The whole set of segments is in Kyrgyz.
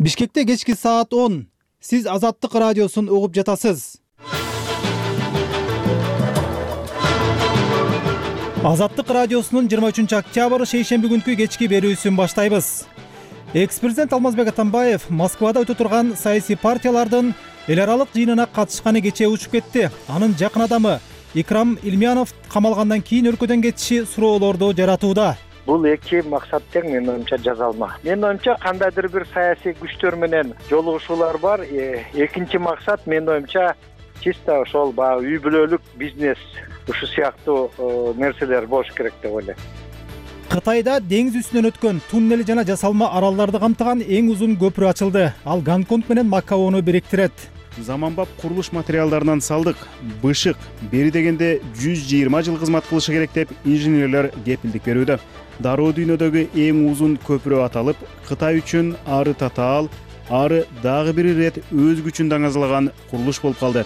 Бишкекте кечки саат 10. Сиз Азаттык радиосун угуп жатасыз. Азаттык радиосунун 23 октябрь шейшемби күнкү кечки берүүсүн баштайбыз. Экс-президент Алмазбек Атамбаев Москвада өтө турган саясий партиялардын эл аралык жыйынына катышканы кечээ учуп кетти. Анын жакын адамы Икрам Илмиянов камалгандан кийин өлкөдөн кетиши суроолорду жаратууда. Бул эки максат тең, менин оюмча, жазалма. Менин оюмча, кандайдыр бир саясий күчтөр менен жолугушуулар бар. Экинчи максат, менин оюмча, чисто ошол баягы үй бүлөлүк бизнес, ушу сыяктуу нерселер болуш керек деп ойлойм. Кытайда деңиз үстүнөн өткөн туннели жана жасалма аралдарды камтыган эң узун көпүрө ачылды. Ал Гонконг менен Макаону бириктирет. Заманбап курулуш материалдарынан салдык, бышык, бери дегенде 120 жыл кызмат кылышы керек деп инженерлер кепилдик берүүдө. Дароо дүйнөдөгү эң узун көпүрө аталып, Кытай үчүн ары татаал, ары дагы бир ирет өз күчүн даңазалаган курулуш болуп калды.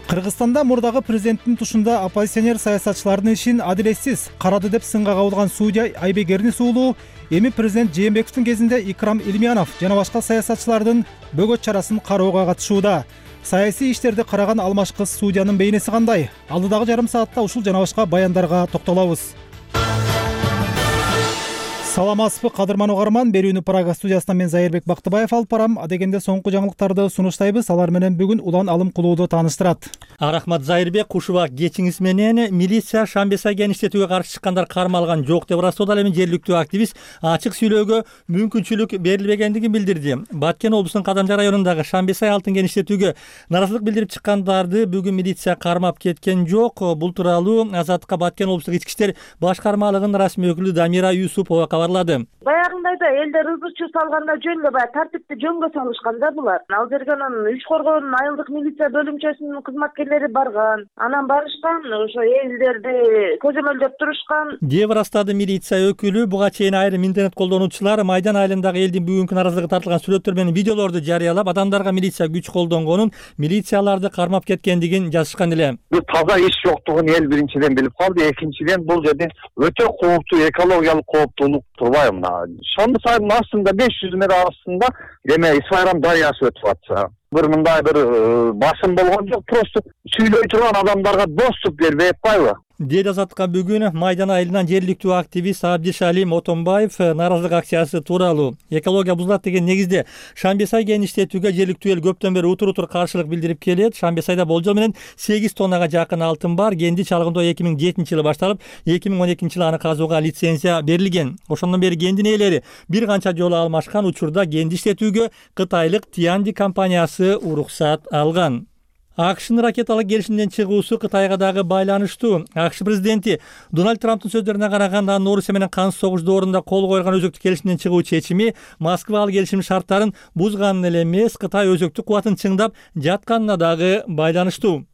Кыргызстанда мурдагы президенттин тушунда оппозиционер саясатчылардын ишин адилетсиз карады деп сынга кабылган судья Айбек Эрнис уулу эми президент Жээнбековдун кезинде Икрам Илмиянов жана башка саясатчылардын бөгөт чарасын кароого катышууда. Саясий иштерди караган алмаш кыз судьянын бейнеси кандай? Алдыдагы жарым саатта ушул жана башка баяндарга токтолобуз. Саламатсызбы кадырман угарман, берүүнү Прага студиясынан мен Зайырбек Бактыбаев алып барам. Адегенде соңку жаңылыктарды сунуштайбыз. Алар менен бүгүн улан алым кылууду тааныштырат. Рахмат Зайырбек, кушубак кечиңиз менен. Милиция Шамбесай кеңиштетүүгө каршы чыккандар кармалган жок деп ырастоодо, ал эми жергиликтүү активист ачык сүйлөөгө мүмкүнчүлүк берилбегендигин билдирди. Баткен облусунун Кадамжа районундагы Шамбесай алтын кеңиштетүүгө наразылык билдирип чыккандарды бүгүн милиция кармап кеткен жок. Бул тууралуу Азаттыкка Баткен облустук ички иштер башкармалыгынын расмий өкүлү Дамира Юсупова кабарлады. Баягындайда элдер ызычуу салганда жөн эле баягы тартипти жөнгө салышкан да булар. Ал жерге анан үч коргоонун айылдык милиция бөлүмчөсүнүн кызматкерлери барган. Анан барышкан, ошо элдерди көзөмөлдөп турушкан. Деп ырастады милиция өкүлү. Буга чейин айрым интернет колдонуучулар Майдан айылындагы элдин бүгүнкү наразылыгы тартылган сүрөттөр менен видеолорду жарыялап, адамдарга милиция күч колдонгонун, милицияларды кармап кеткендигин жазышкан эле. Бул таза иш жоктугун эл биринчиден билип калды, экинчиден бул жерде өтө кооптуу экологиялык кооптуулук турбайбы? Шонду сайдын астында 500 метр астында эме Исфайрам дарыясы өтүп атса. Бир мындай бир басым болгон жок, просто сүйлөй турган адамдарга доступ бербей атпайбы? Деди Азаттыкка бүгүн Майдан айылынан жергиликтүү активист Абдишалим Отонбаев наразылык акциясы тууралуу. Экология бузулат деген негизде Шамбесай кеңиштетүүгө жергиликтүү эл көптөн бери утур каршылык билдирип келет. Шамбесайда болжол менен 8 тоннага жакын алтын бар. Кенди чалгындоо 2007-жылы башталып, 2012-жылы аны казууга лицензия берилген. Ошондон бери кендин ээлери бир канча жолу алмашкан. Учурда кенди иштетүүгө кытайлык Тианди компаниясы уруксат алган. АКШнын ракеталык келишимден чыгуусу Кытайга дагы байланыштуу. АКШ президенти Дональд Трамптын сөздөрүнө караганда, анын Орусия менен кансыз согуш доорунда кол койгон өзөктүк келишимден чыгуу чечими Москва ал келишим шарттарын бузганын эле эмес, Кытай өзөктүк кубатын чыңдап жатканына дагы байланыштуу.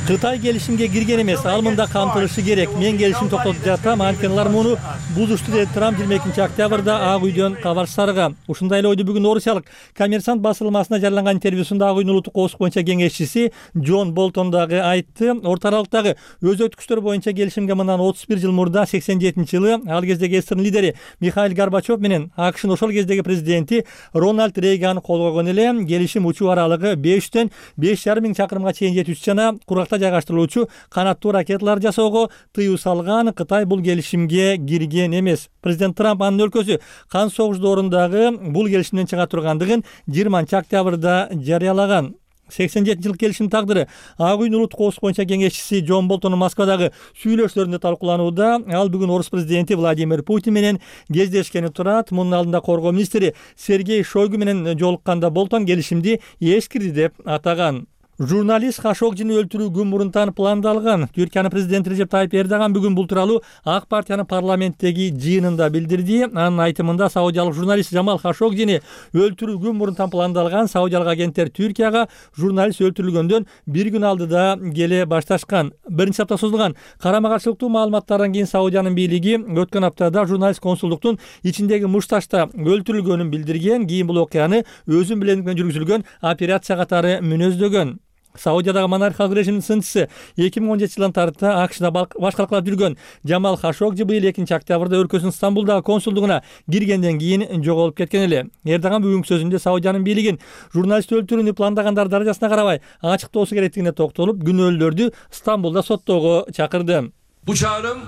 Кытай келишимге кирген эмес, ал мында камтылышы керек. Мен келишим токтотуп жатам, анткени алар муну бузушту деди Трамп 22 октябрда Ак үйдөн кабар сарыга. Ушундай эле ойду бүгүн орусиялык Коммерсант басылмасына жарыяланган интервьюсунда Ак үйдүн улуттук коопсуздук боюнча кеңешчиси Джон Болтон дагы айтты. Орто аралыктагы өзөктүк күчтөр боюнча келишимге мындан 31 жыл мурда 87-жылы ал кездеги СССРдин лидери Михаил Горбачев менен АКШнын ошол кездеги президенти Рональд Рейган кол койгон эле. Келишим учуу аралыгы 5-тен 5,5 миң чакырымга чейин жетүүчү жана куракта жайгаштырылуучу канаттуу ракеталар жасоого тыюу салган. Кытай бул келишимге кирген эмес. Президент Трамп анын өлкөсү кансыз согуш доорундагы бул келишимден чыга тургандыгын 20 октябрда жарыялаган. 87-жылык келишимдин тагдыры Ак үйдүн улуттук коопсуздук боюнча кеңешчиси Джон Болтондун Москвадагы сүйлөшүүлөрүндө талкууланууда. Ал бүгүн орус президенти Владимир Путин менен кездешкени турат. Мунун алдында коргоо министри Сергей Шойгу менен жолукканда Болтон келишимди эскирди деп атаган. Журналист Хашогжини өлтүрүү күн мурунтан пландалган. Түркиянын президенти Режеп Тайип Эрдоган бүгүн бул тууралуу Ак партиянын парламенттеги жыйынында билдирди. Анын айтымында саудиялык журналист Жамал Хашогжини өлтүрүү күн мурунтан пландалган. Саудиялык агенттер Түркияга журналист өлтүрүлгөндөн бир күн алдыда келе башташкан. Биринчи апта созулган карама-каршылыктуу маалыматтардан кийин Саудиянын бийлиги өткөн аптада журналист консулдуктун ичиндеги Мушташта өлтүрүлгөнүн билдирген. Кийин бул окуяны өзүн билендик менен жүргүзүлгөн операция катары мүнөздөгөн. Саудиядагы монархиялык режимдин сынчысы 2017-жылдан тарта АКШда башкалкалап жүргөн Жамал Хашогжи быйыл 2-октябрда өлкөсүнүн Стамбулдагы консулдугуна киргенден кийин жоголуп кеткен эле. Эрдоган бүгүнкү сөзүндө Саудиянын бийлигин журналист өлтүрүүнү пландагандар даражасына карабай ачыктоосу керектигине токтолуп, күнөөлүүлөрдү Стамбулда соттоого чакырды. Bu çağrım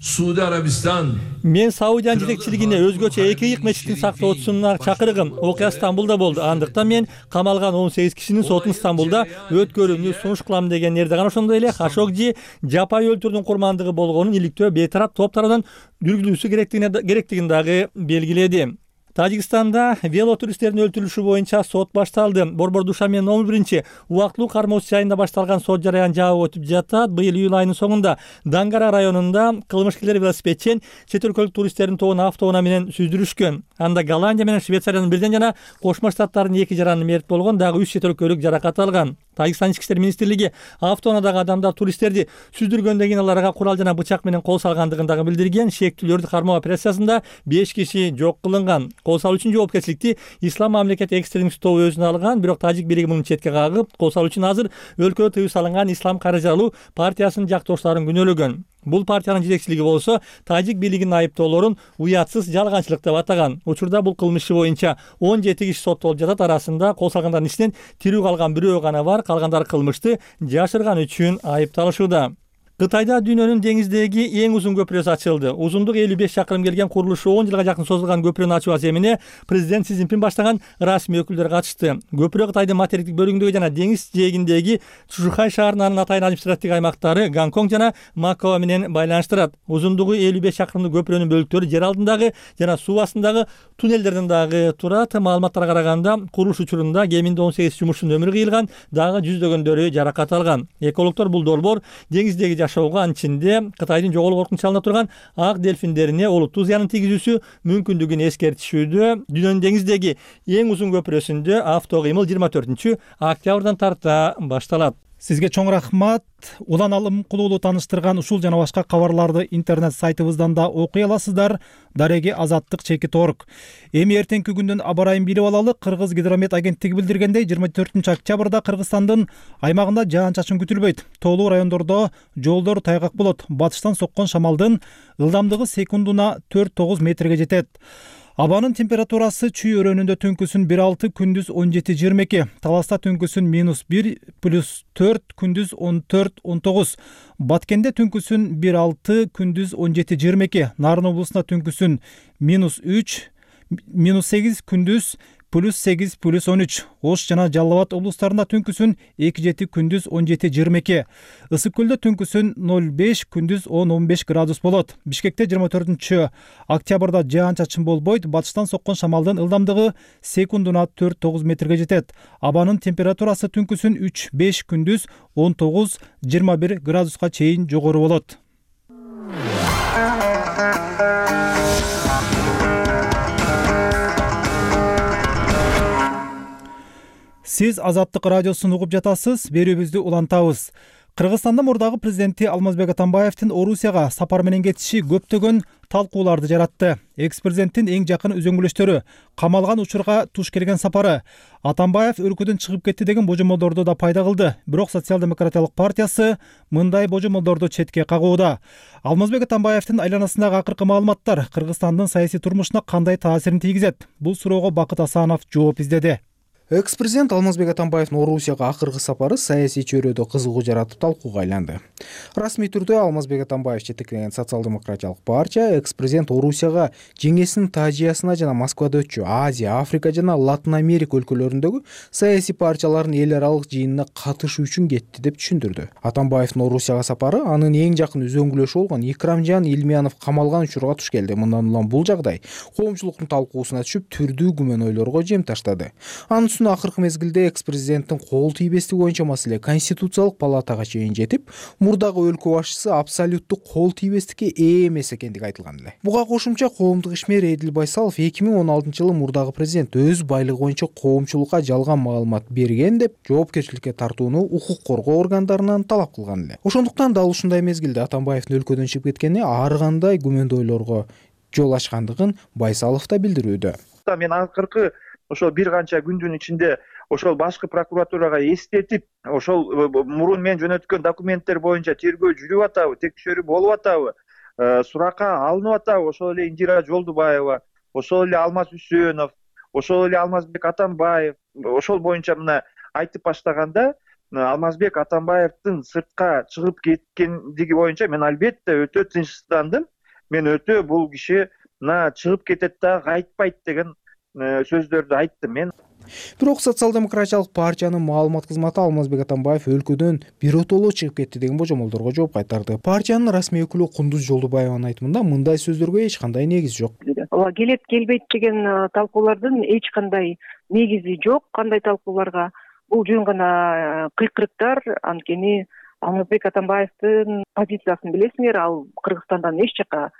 Suudi Arabistan. Мен Саудиянын жетекчилигине өзгөчө эки ыйык мечиттин сактоочусуна чакыргым. Окуя Стамбулда болду. Андыктан мен камалган 18 кишинин сотун Стамбулда өткөрүүнү сунуш кылам деген Эрдоган. Ошондой эле Хашогжи жапай өлтүрүүнүн курмандыгы болгонун иликтөө бейтарап топ тарабынан жүргүзүлүшү керектигин дагы белгиледи. Тажикстанда велотуристтердин өлтүрүлүшү боюнча сот башталды. Борбор Душанбе номер 1 убактылуу кармоочу жайында башталган сот жараян жабык өтүп жатат. Быйыл июль айынын соңунда Дангара районунда кылмышкерлер велосипедчен чет өлкөлүк туристтердин тобун автоунаа менен сүздүрүшкөн. Анда Голландия менен Швециянын бирден жана Кошмо Штаттардын 2 жараны мерт болгон, дагы 3 чет өлкөлүк жаракат алган. Тажикстан ички иштер министрлиги автоунаадагы адамдар туристтерди сүздүргөндөн кийин аларга курал жана бычак менен кол салгандыгын дагы билдирген. Шектүүлөрдү кармоо операциясында 5 киши жок кылынган. Кол салуу үчүн жоопкерчиликти Ислам мамлекет экстремист тобу өзүнө алган, бирок тажик бийлиги муну четке кагып, кол салуу үчүн азыр өлкөдө тыюу салынган Ислам каражалуу партиясынын жактоошторун күнөөлөгөн. Бул партиянын жетекчилиги болсо тажик бийлигинин айыптоолорун уятсыз жалганчылык деп атаган. Учурда бул кылмыш иши боюнча 17 киши соттолуп жатат. Арасында кол салгандардын ичинен тирүү калган бирөө гана бар. Калгандары кылмышты жашырган үчүн айыпталышууда. Кытайда дүйнөнүн деңиздеги эң узун көпүрөсү ачылды. Узундугу 55 чакырым келген курулушу 10 жылга жакын созулган көпүрөнү ачуу аземине президент Си Цзиньпин баштаган расмий өкүлдөр катышты. Көпүрө Кытайдын материктик бөлүгүндөгү жана деңиз жээгиндеги Чжухай шаарынын атайын административдик аймактары Гонконг жана Макао менен байланыштырат. Узундугу 55 чакырымдык көпүрөнүн бөлүктөрү жер алдындагы жана суу астындагы туннелдерден дагы турат. Маалыматтарга караганда курулуш учурунда кеминде 18 жумушчунун өмүрү кыйылган, дагы жүздөгөндөрү жаракат алган. Экологдор бул долбоор деңиздеги жашоого, ичинде Кытайдын жоголуу коркунучу алына турган ак дельфиндерине олуттуу зыянын тийгизүүсү мүмкүндүгүн эскертишүүдө. Дүйнөнүн деңиздеги эң узун көпүрөсүндө авто кыймыл 24-октябрдан тарта башталат. Сизге чоң рахмат. Улан Алым Кулуулу тааныштырган ушул жана башка кабарларды интернет сайтыбыздан да окуй аласыздар. Дареги Азаттык _org. Эми эртеңки күндүн аба ырайын билип алалы. Кыргыз гидромет агенттиги билдиргендей 24-октябрда Кыргызстандын аймагында жаан-чачын күтүлбөйт. Тоолуу райондордо жолдор тайгак болот. Батыштан соккон шамалдын ылдамдыгы секундуна 4-9 метрге жетет. Абанын температурасы Чүй өрөөнүндө түнкүсүн 1-6, күндүз 17-22, Таласта түнкүсүн -1, +4, күндүз 14-19, Баткенде түнкүсүн 1-6, күндүз 17-22, Нарын облусунда түнкүсүн -3, -8, күндүз +8, +13, Ош жана Жалал Абад облустарында түнкүсүн 2-7, күндүз 17-22, Ысык көлдө түнкүсүн 0-5, күндүз 10-15 градус болот. Бишкекте 24-октябрда жаан-чачын болбойт. Батыштан соккон шамалдын ылдамдыгы секундуна 4-9 метрге жетет. Абанын температурасы түнкүсүн 3-5, күндүз 19-21 градуска чейин жогору болот. Сиз Азаттык радиосун угуп жатасыз. Берүүбүздү улантабыз. Кыргызстандын мурдагы президенти Алмазбек Атамбаевдин Орусияга сапар менен кетиши көптөгөн талкууларды жаратты. Экс-президенттин эң жакын үзөңгүлөштөрү камалган учурга туш келген сапары, Атамбаев өлкөдөн чыгып кетти деген божомолдорду да пайда кылды. Бирок Социал-демократиялык партиясы мындай божомолдорду четке кагууда. Алмазбек Атамбаевдин айланасындагы акыркы маалыматтар Кыргызстандын саясий турмушуна кандай таасирин тийгизет? Бул суроого Бакыт Асанов жооп издеди. Экс-президент Алмазбек Атамбаевдин Орусияга акыркы сапары саясий чөйрөдө кызыгуу жаратып талкууга айланды. Расмий түрдө Алмазбек Атамбаев жетектеген Социал-демократиялык партия экс-президент Орусияга жеңесинин Тажиясына жана Москвада өтчү Азия, Африка жана Латын Америка өлкөлөрүндөгү саясий партиялардын эл аралык жыйынына катышуу үчүн кетти деп түшүндүрдү. Атамбаевдин Орусияга сапары анын эң жакын үзөңгүлөшү болгон Икрамжан Илмиянов камалган учурга туш келди. Мындан улам бул жагдай коомчулуктун талкуусуна түшүп, түрдүү күмөн ойлорго жем таштады. Акыркы мезгилде экс-президенттин кол тийбестиги боюнча маселе Конституциялык палатага чейин жетип, мурдагы өлкө башчысы абсолюттук кол тийбестикке ээ эмес экендиги айтылган эле. Буга кошумча коомдук ишмер Эдил Байсалов 2016-жылы мурдагы президент өз байлыгы боюнча коомчулукка жалган маалымат берген деп жоопкерчиликке тартууну укук коргоо органдарынан талап кылган эле. Ошондуктан дал ушундай мезгилде Атамбаевдин өлкөдөн чыгып кеткени ар кандай күмөндүү ойлорго жол ачкандыгын Байсалов да билдирүүдө. Мен акыркы ошо бир канча күндүн ичинде ошол башкы прокуратурага эстетип, ошол мурун мен жөнөткөн документтер боюнча тергөө жүрүп атабы, текшерүү болуп атабы, суракка алынып атабы, ошол эле Индира Жолдубаева, ошол эле Алмаз Үсөнов, ошол эле Алмазбек Атамбаев, ошол боюнча мына айтып баштаганда, Алмазбек Атамбаевдин сыртка чыгып кеткендиги боюнча мен албетте өтө тынчсыздандым. Мен өтө бул киши мына чыгып кетет да кайтпайт деген сөздөрдү айттым мен. Бирок социал-демократиялык партиянын маалымат кызматы Алмазбек Атамбаев өлкөдөн биротоло чыгып кетти деген божомолдорго жооп кайтарды. Партиянын расмий өкүлү Кундуз Жолдубаеванын айтымында мындай сөздөргө эч кандай негиз жок. Ооба, келет келбейт деген талкуулардын эч кандай негизи жок. Кандай талкууларга? Бул жөн гана кыйкырыктар. Анткени Алмазбек Атамбаевдин позициясын билесиңер, ал Кыргызстандан эч жака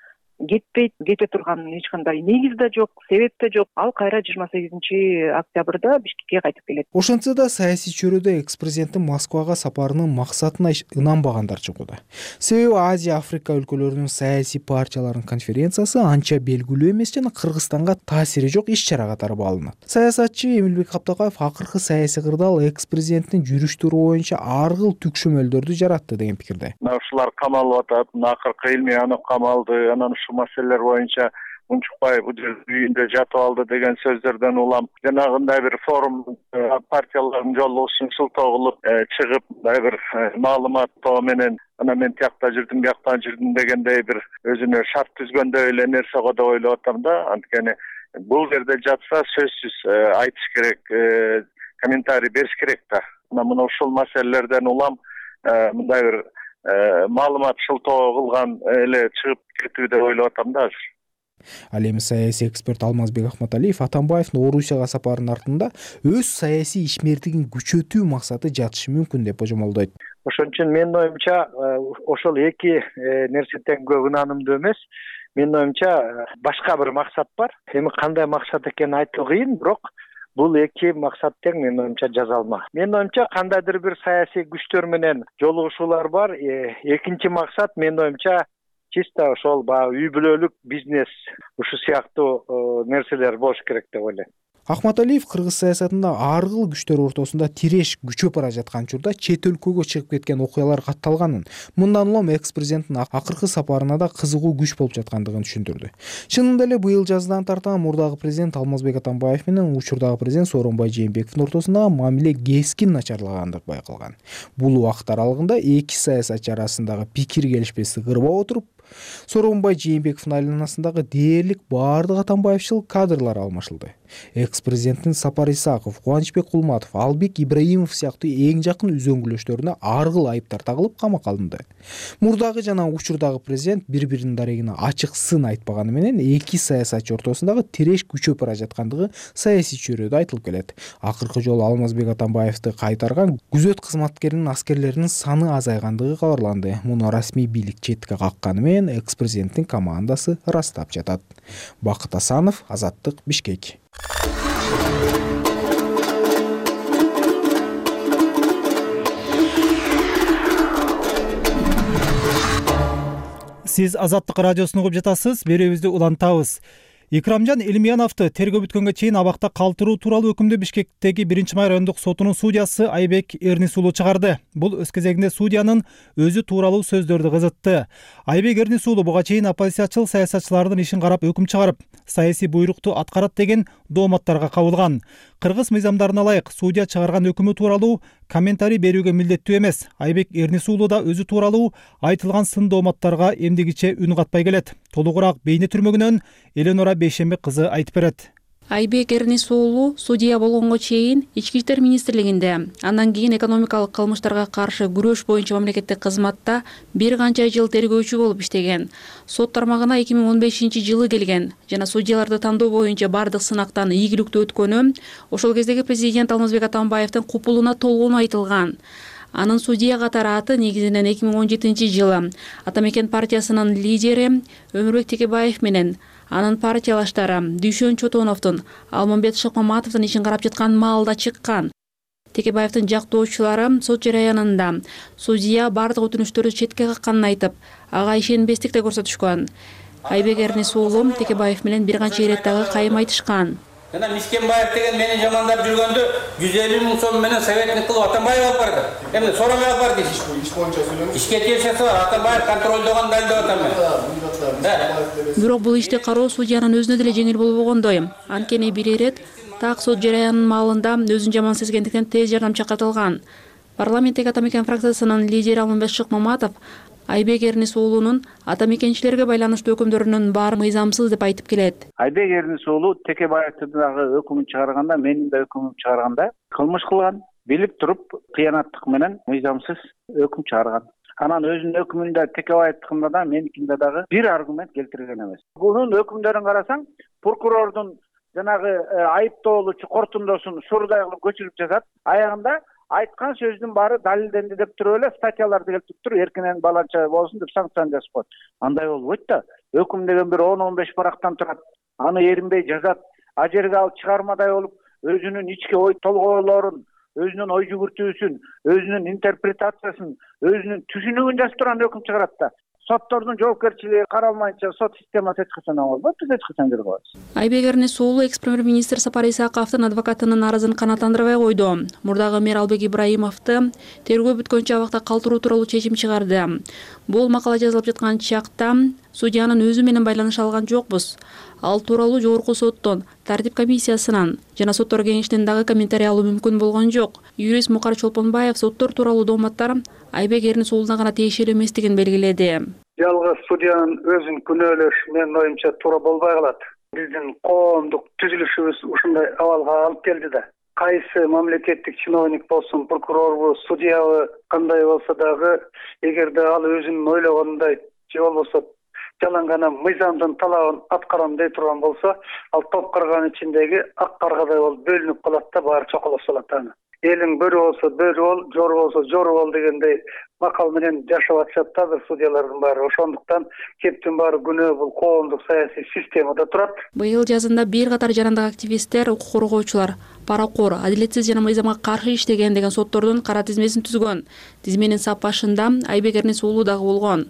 кетпейт, кете турган эч кандай негиз да жок, себеп да жок. Ал кайра 28-октябрда Бишкекке кайтып келет. Ошентсе да саясий чөйрөдө экс-президенттин Москвага сапарынын максатына ынанбагандар чыгууда. Себеби Азия, Африка өлкөлөрүнүн саясий партияларынын конференциясы анча белгилүү эмес жана Кыргызстанга таасири жок иш-чара катары бааланат. Саясатчы Эмилбек Каптакаев акыркы саясий кырдаал экс-президенттин жүрүштөрү боюнча ар кыл түкшөмөлдөрдү жаратты деген пикирде. Ушулар камалып атат, акыркы Илмиянов камалды, анан маселелер боюнча Унчукбаев үйүндө жатып алды деген сөздөрдөн улам жанагындай бир форум партиялардын жолугушун шылтоо кылып чыгып, мындай бир маалыматтоо менен анан мен тиякта жүрдүм, бияктан жүрдүм дегендей бир өзүнө шарт түзгөндөй эле нерсе го деп ойлоп атам да. Анткени бул жерде жатса сөзсүз айтыш керек, комментарий бериш керек да. Мына ушул маселелерден улам мындай бир маалымат шылтоо кылган эле чыгып кетүү деп ойлоп атам да азыр. Ал эми саясий эксперт Алмазбек Ахматалиев Атамбаевдин Орусияга сапарынын артында өз саясий ишмердигин күчөтүү максаты жатышы мүмкүн деп божомолдойт. Ошон үчүн менин оюмча ошол эки нерсе тең көп ынанымдуу эмес. Менин оюмча башка бир максат бар. Эми кандай максат экенин айтуу кыйын, бирок бул эки максат тең менин оюмча жазалма. Менин оюмча кандайдыр бир саясий күчтөр менен жолугушуулар бар. Экинчи максат менин оюмча чисто ошол үй бүлөлүк бизнес ушу сыяктуу нерселер болуш керек деп ойлойм. Ахматалиев кыргыз саясатында ар кыл күчтөр ортосунда тиреш күчөп бара жаткан учурда чет өлкөгө чыгып кеткен окуялар катталганын, мындан улам экс-президенттин акыркы сапарына да кызыгуу күч болуп жаткандыгын түшүндүрдү. Чынында эле быйыл жаздан тартан мурдагы президент Алмазбек Атамбаев менен учурдагы президент Сооронбай Жээнбековдун ортосундагы мамиле кескин начарлагандыгы байкалган. Бул убакыт аралыгында эки саясатчы арасындагы пикир келишпестик ырбап отуруп, Сооронбай Жээнбековдун айланасындагы дээрлик баардык Атамбаевчыл кадрлар алмашылды. Экс-президенттин Сапар Исаков, Кубанычбек Кулматов, Албек Ибраимов сыяктуу эң жакын үзөңгүлөштөрүнө ар кыл айыптар тагылып камакка алынды. Мурдагы жана учурдагы президент бири-биринин дарегине ачык сын айтпаганы менен эки саясатчы ортосундагы тиреш күчөп бара жаткандыгы саясий чөйрөдө айтылып келет. Акыркы жолу Алмазбек Атамбаевди кайтарган күзөт кызматкеринин аскерлеринин саны азайгандыгы кабарланды. Муну расмий бийлик четке какканы менен экс-президенттин командасы ырастап жатат. Бакыт Асанов, Азаттык, Бишкек. Сиз Азаттык радиосун угуп жатасыз, берүүбүздү улантабыз. Икрамжан Элимияновду тергөө бүткөнгө чейин абакта калтыруу тууралуу өкүмдү Бишкектеги 1-май райондук сотунун судьясы Айбек Эрнис уулу чыгарды. Бул өз кезегинде судьянын өзү тууралуу сөздөрдү кызытты. Айбек Эрнис уулу буга чейин оппозициячыл саясатчылардын ишин карап өкүм чыгарып, саясий буйрукту аткарат деген дооматтарга кабылган. Кыргыз мыйзамдарына ылайык судья чыгарган өкүмү тууралуу комментарий берүүгө милдеттүү эмес. Айбек Эрнис уулу да өзү тууралуу айтылган сын дооматтарга эмдигиче үн катпай келет. Толугураак бейне түрмөгүнөн Эленора Бейшембек кызы айтып берет. Айбек Эрнис уулу судья болгонго чейин Ички иштер министрлигинде, андан кийин экономикалык кылмыштарга каршы күрөш боюнча мамлекеттик кызматта бир канча жыл тергөөчү болуп иштеген. Сот тармагына 2015-жылы келген жана судьяларды тандоо боюнча бардык сынактан ийгиликтүү өткөнү ошол кездеги президент Алмазбек Атамбаевдин купулуна толгоон айтылган. Анын судья катары аты негизинен 2017-жылы Атамекен партиясынын лидери Өмүрбек Текебаев менен анын партиялаштары Дүйшөн Чотоновдун, Алмамбет Шыкмаматовдун ишин карап жаткан маалда чыккан. Текебаевдин жактоочулары сот жараянында судья бардык өтүнүштөрдү четке какканын айтып, ага ишенбестик да көрсөтүшкөн. Айбек Эрнис уулу Текебаев менен бир канча ирет дагы кайым айтышкан. жана Мискенбаев деген мени жамандап жүргөндө 150 000 сом менен советник кылып Атамбаев алып барды. Эмне соромай алып барды? Иш боюнча сүйлөмөк. Ишке тиешеси бар. Атамбаев контролдогон далилдеп атам мен. Бирок бул ишти кароо судьянын өзүнө деле жеңил болбогондой. Анткени бир ирет так сот жараянынын маалында өзүн жаман сезгендиктен тез жардам чакыртылган. Парламенттеги Атамекен фракциясынын лидери Алмамбет Шыкмаматов Айбек Эрнис уулунун атамекенчилерге байланыштуу өкүмдөрүнүн баары мыйзамсыз деп айтып келет. Айбек Эрнис уулу Текебаевдин дагы өкүмүн чыгарганда, менин да өкүмүмдү чыгарганда кылмыш кылган, билип туруп кыянаттык менен мыйзамсыз өкүм чыгарган. Анан өзүнүн өкүмүндө Текебаевдикинде да меникинде дагы бир аргумент келтирген эмес. Бунун өкүмдөрүн карасаң, прокурордун жанагы айыптоолучу кортундосун сурдай кылып көчүрүп жазат. Аягында айткан сөздүн баары далилденди деп туруп эле статьяларды келтирип туруп эркинен баланча болсун деп санкцияны жазып коет. Андай болбойт да. Өкүм деген бир 10-15 парактан турат. Аны эринбей жазат. А жерге алып чыгармадай болуп өзүнүн ички ой толгойлорун, өзүнүн ой жүгүртүүсүн, өзүнүн интерпретациясын, өзүнүн түшүнүгүн жазып турган өкүм чыгарат да. Соттордун жоопкерчилиги каралмайынча сот системасы эч качан болбойт, биз эч качан бир коебуз. Айбек Эрнис уулу экс-премьер-министр Сапар Исаковдун адвокатынын арызын канааттандырбай койду. Мурдагы мэр Албек Ибраимовду тергөө бүткөнчө абакта калтыруу тууралуу чечим чыгарды. Бул макала жазылып жаткан чакта судьянын өзү менен байланыша алган жокпуз. Ал тууралуу жогорку соттон, тартип комиссиясынан жана соттор кеңешинен дагы комментарий алуу мүмкүн болгон жок. Юрист Мукар Чолпонбаев соттор тууралуу дооматтар Айбек Эрнис уулуна гана тиешелүү эместигин белгиледи. Жалгыз судьянын өзүн күнөөлөш менин оюмча туура болбой калат. Биздин коомдук түзүлүшүбүз ушундай абалга алып келди да. Кайсы мамлекеттик чиновник болсун, прокурорбу, судьябы кандай болсо дагы, эгерде ал өзүнүн ойлогонундай же болбосо жалаң гана мыйзамдын талабын аткарам дей турган болсо, ал топ карганын ичиндеги ак каргадай болуп бөлүнүп калат да, баары чоколоп салат аны. Элиң бөрү болсо бөрү бол, жору болсо жору бол дегендей макал менен жашап атышат да судьялардын баары. Ошондуктан кептин баары күнөө бул коомдук саясий системада турат. Быйыл жазында бир катар жарандык активисттер, укук коргоочулар паракор, адилетсиз жана мыйзамга каршы иштеген деген соттордун кара тизмесин түзгөн. Тизменин сап башында Айбек Эрнис уулу дагы болгон.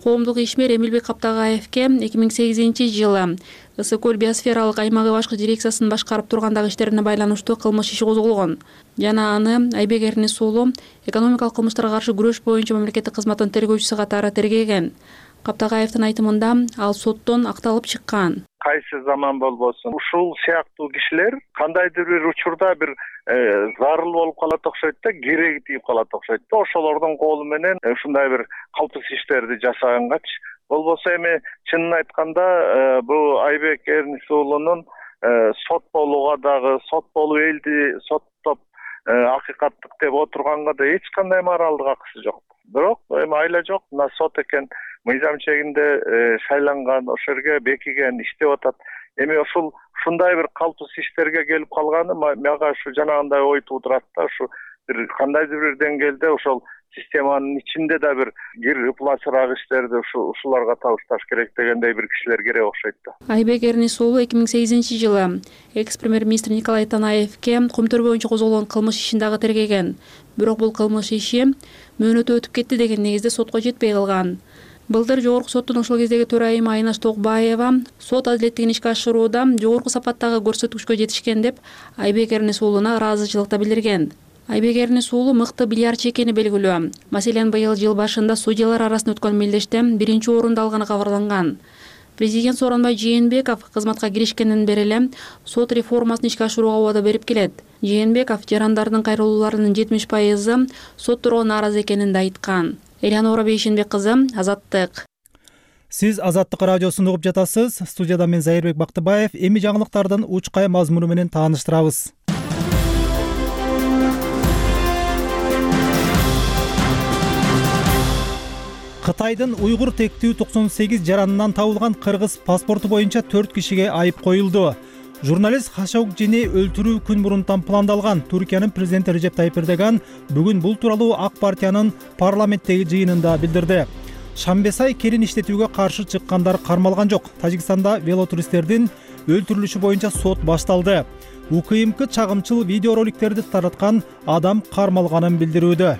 Коомдук ишмер Эмилбек Каптагаевке 2008-жылы Ысык-Көл биосфералык аймагы башкы дирекциясын башкарып тургандагы иштерине байланыштуу кылмыш иши козголгон. Жана аны Айбек Эрнис уулу экономикалык кылмыштарга каршы күрөш боюнча мамлекеттик кызматтын тергөөчүсү катары тергеген. Каптагаевдин айтымында ал соттон акталып чыккан. Кайсы заман болбосун ушул сыяктуу кишилер кандайдыр бир учурда бир зарыл болуп калат окшойт да, кереги тийип калат окшойт да. Ошолордун колу менен ушундай бир калпыс иштерди жасагангачы. Болбосо эми чынын айтканда бул Айбек Эрнис уулунун сот болууга дагы, сот болуп элди соттоп акыйкаттык деп отурганга да эч кандай моралдык акысы жок. Бирок эми айла жок, мына сот экен мыйзам чегинде шайланган, ошол жерге бекиген, иштеп атат. Эми ушундай бир калпыс иштерге келип калганы мага ушу жанагындай ой туудурат да, ушу бир кандайдыр бир деңгээлде ошол системанын ичинде да бир кир ыпласыраак иштерди ушуларга табышташ керек дегендей бир кишилер керек окшойт да. Айбек Эрнис уулу 2008-жылы экс-премьер-министр Николай Танаевке Кумтөр боюнча козголгон кылмыш ишин дагы тергеген. Бирок бул кылмыш иши мөөнөтү өтүп кетти деген негизде сотко жетпей калган. Былтыр жогорку соттун ошол кездеги төрайымы Айнаш Токбаева сот адилеттигин ишке ашырууда жогорку сапаттагы көрсөткүчкө жетишкен деп Айбек Эрнис уулуна ыраазычылыкта билдирген. Айбек Эрнис уулу мыкты бильярдчы экени белгилүү. Маселен, быйыл жыл башында судьялар арасында өткөн мелдеште биринчи орунду алганы кабарланган. Президент Сооронбай Жээнбеков кызматка киришкенден бери эле сот реформасын ишке ашырууга убада берип келет. Жээнбеков жарандардын кайрылууларынын 70% сот туругу нааразы экенин да айткан. Элеонора Бейшенбек кызы, Азаттык. Сиз Азаттык радиосун угуп жатасыз. Студияда мен Зайырбек Бактыбаев. Эми жаңылыктардын учкай мазмуну менен тааныштырабыз. Кытайдын уйгур тектүү 98 жаранынан табылган кыргыз паспорту боюнча 4 кишиге айып коюлду. Журналист Хашогжини өлтүрүү күн мурунтан пландалган. Түркиянын президенти Режеп Тайип Эрдоган бүгүн бул тууралуу ак партиянын парламенттеги жыйынында билдирди. Шамбесай келин иштетүүгө каршы чыккандар кармалган жок. Тажикстанда велотуристтердин өлтүрүлүшү боюнча сот башталды. УКМК чагымчыл видеороликтерди тараткан адам кармалганын билдирүүдө.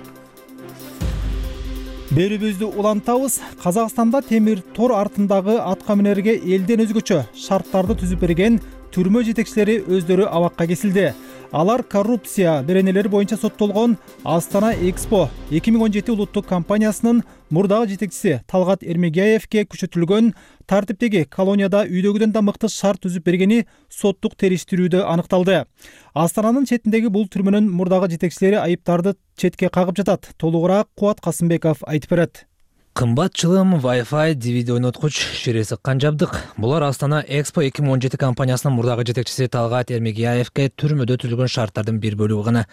Берүүбүздү улантабыз. Казакстанда темир тор артындагы атка минерге элден өзгөчө шарттарды түзүп берген түрмө жетекчилери өздөрү абакка кесилди. Алар коррупция беренелери боюнча соттолгон Астана Экспо 2017 улуттук компаниясынын мурдагы жетекчиси Талгат Эрмегияевке күчөтүлгөн тартиптеги колонияда үйдөгүдөн да мыкты шарт түзүп бергени соттук териштирүүдө аныкталды. Астананын четиндеги бул түрмөнүн мурдагы жетекчилери айыптарды четке кагып жатат. Толугураак Кубат Касымбеков айтып берет. Кымбат чылым, Wi-Fi, DVD ойноткуч, шире сыккан жабдык. Булар Астана Экспо 2017 компаниясынын мурдагы жетекчиси Талгат Эрмегияевке түрмөдө түзүлгөн шарттардын бир бөлүгү гана.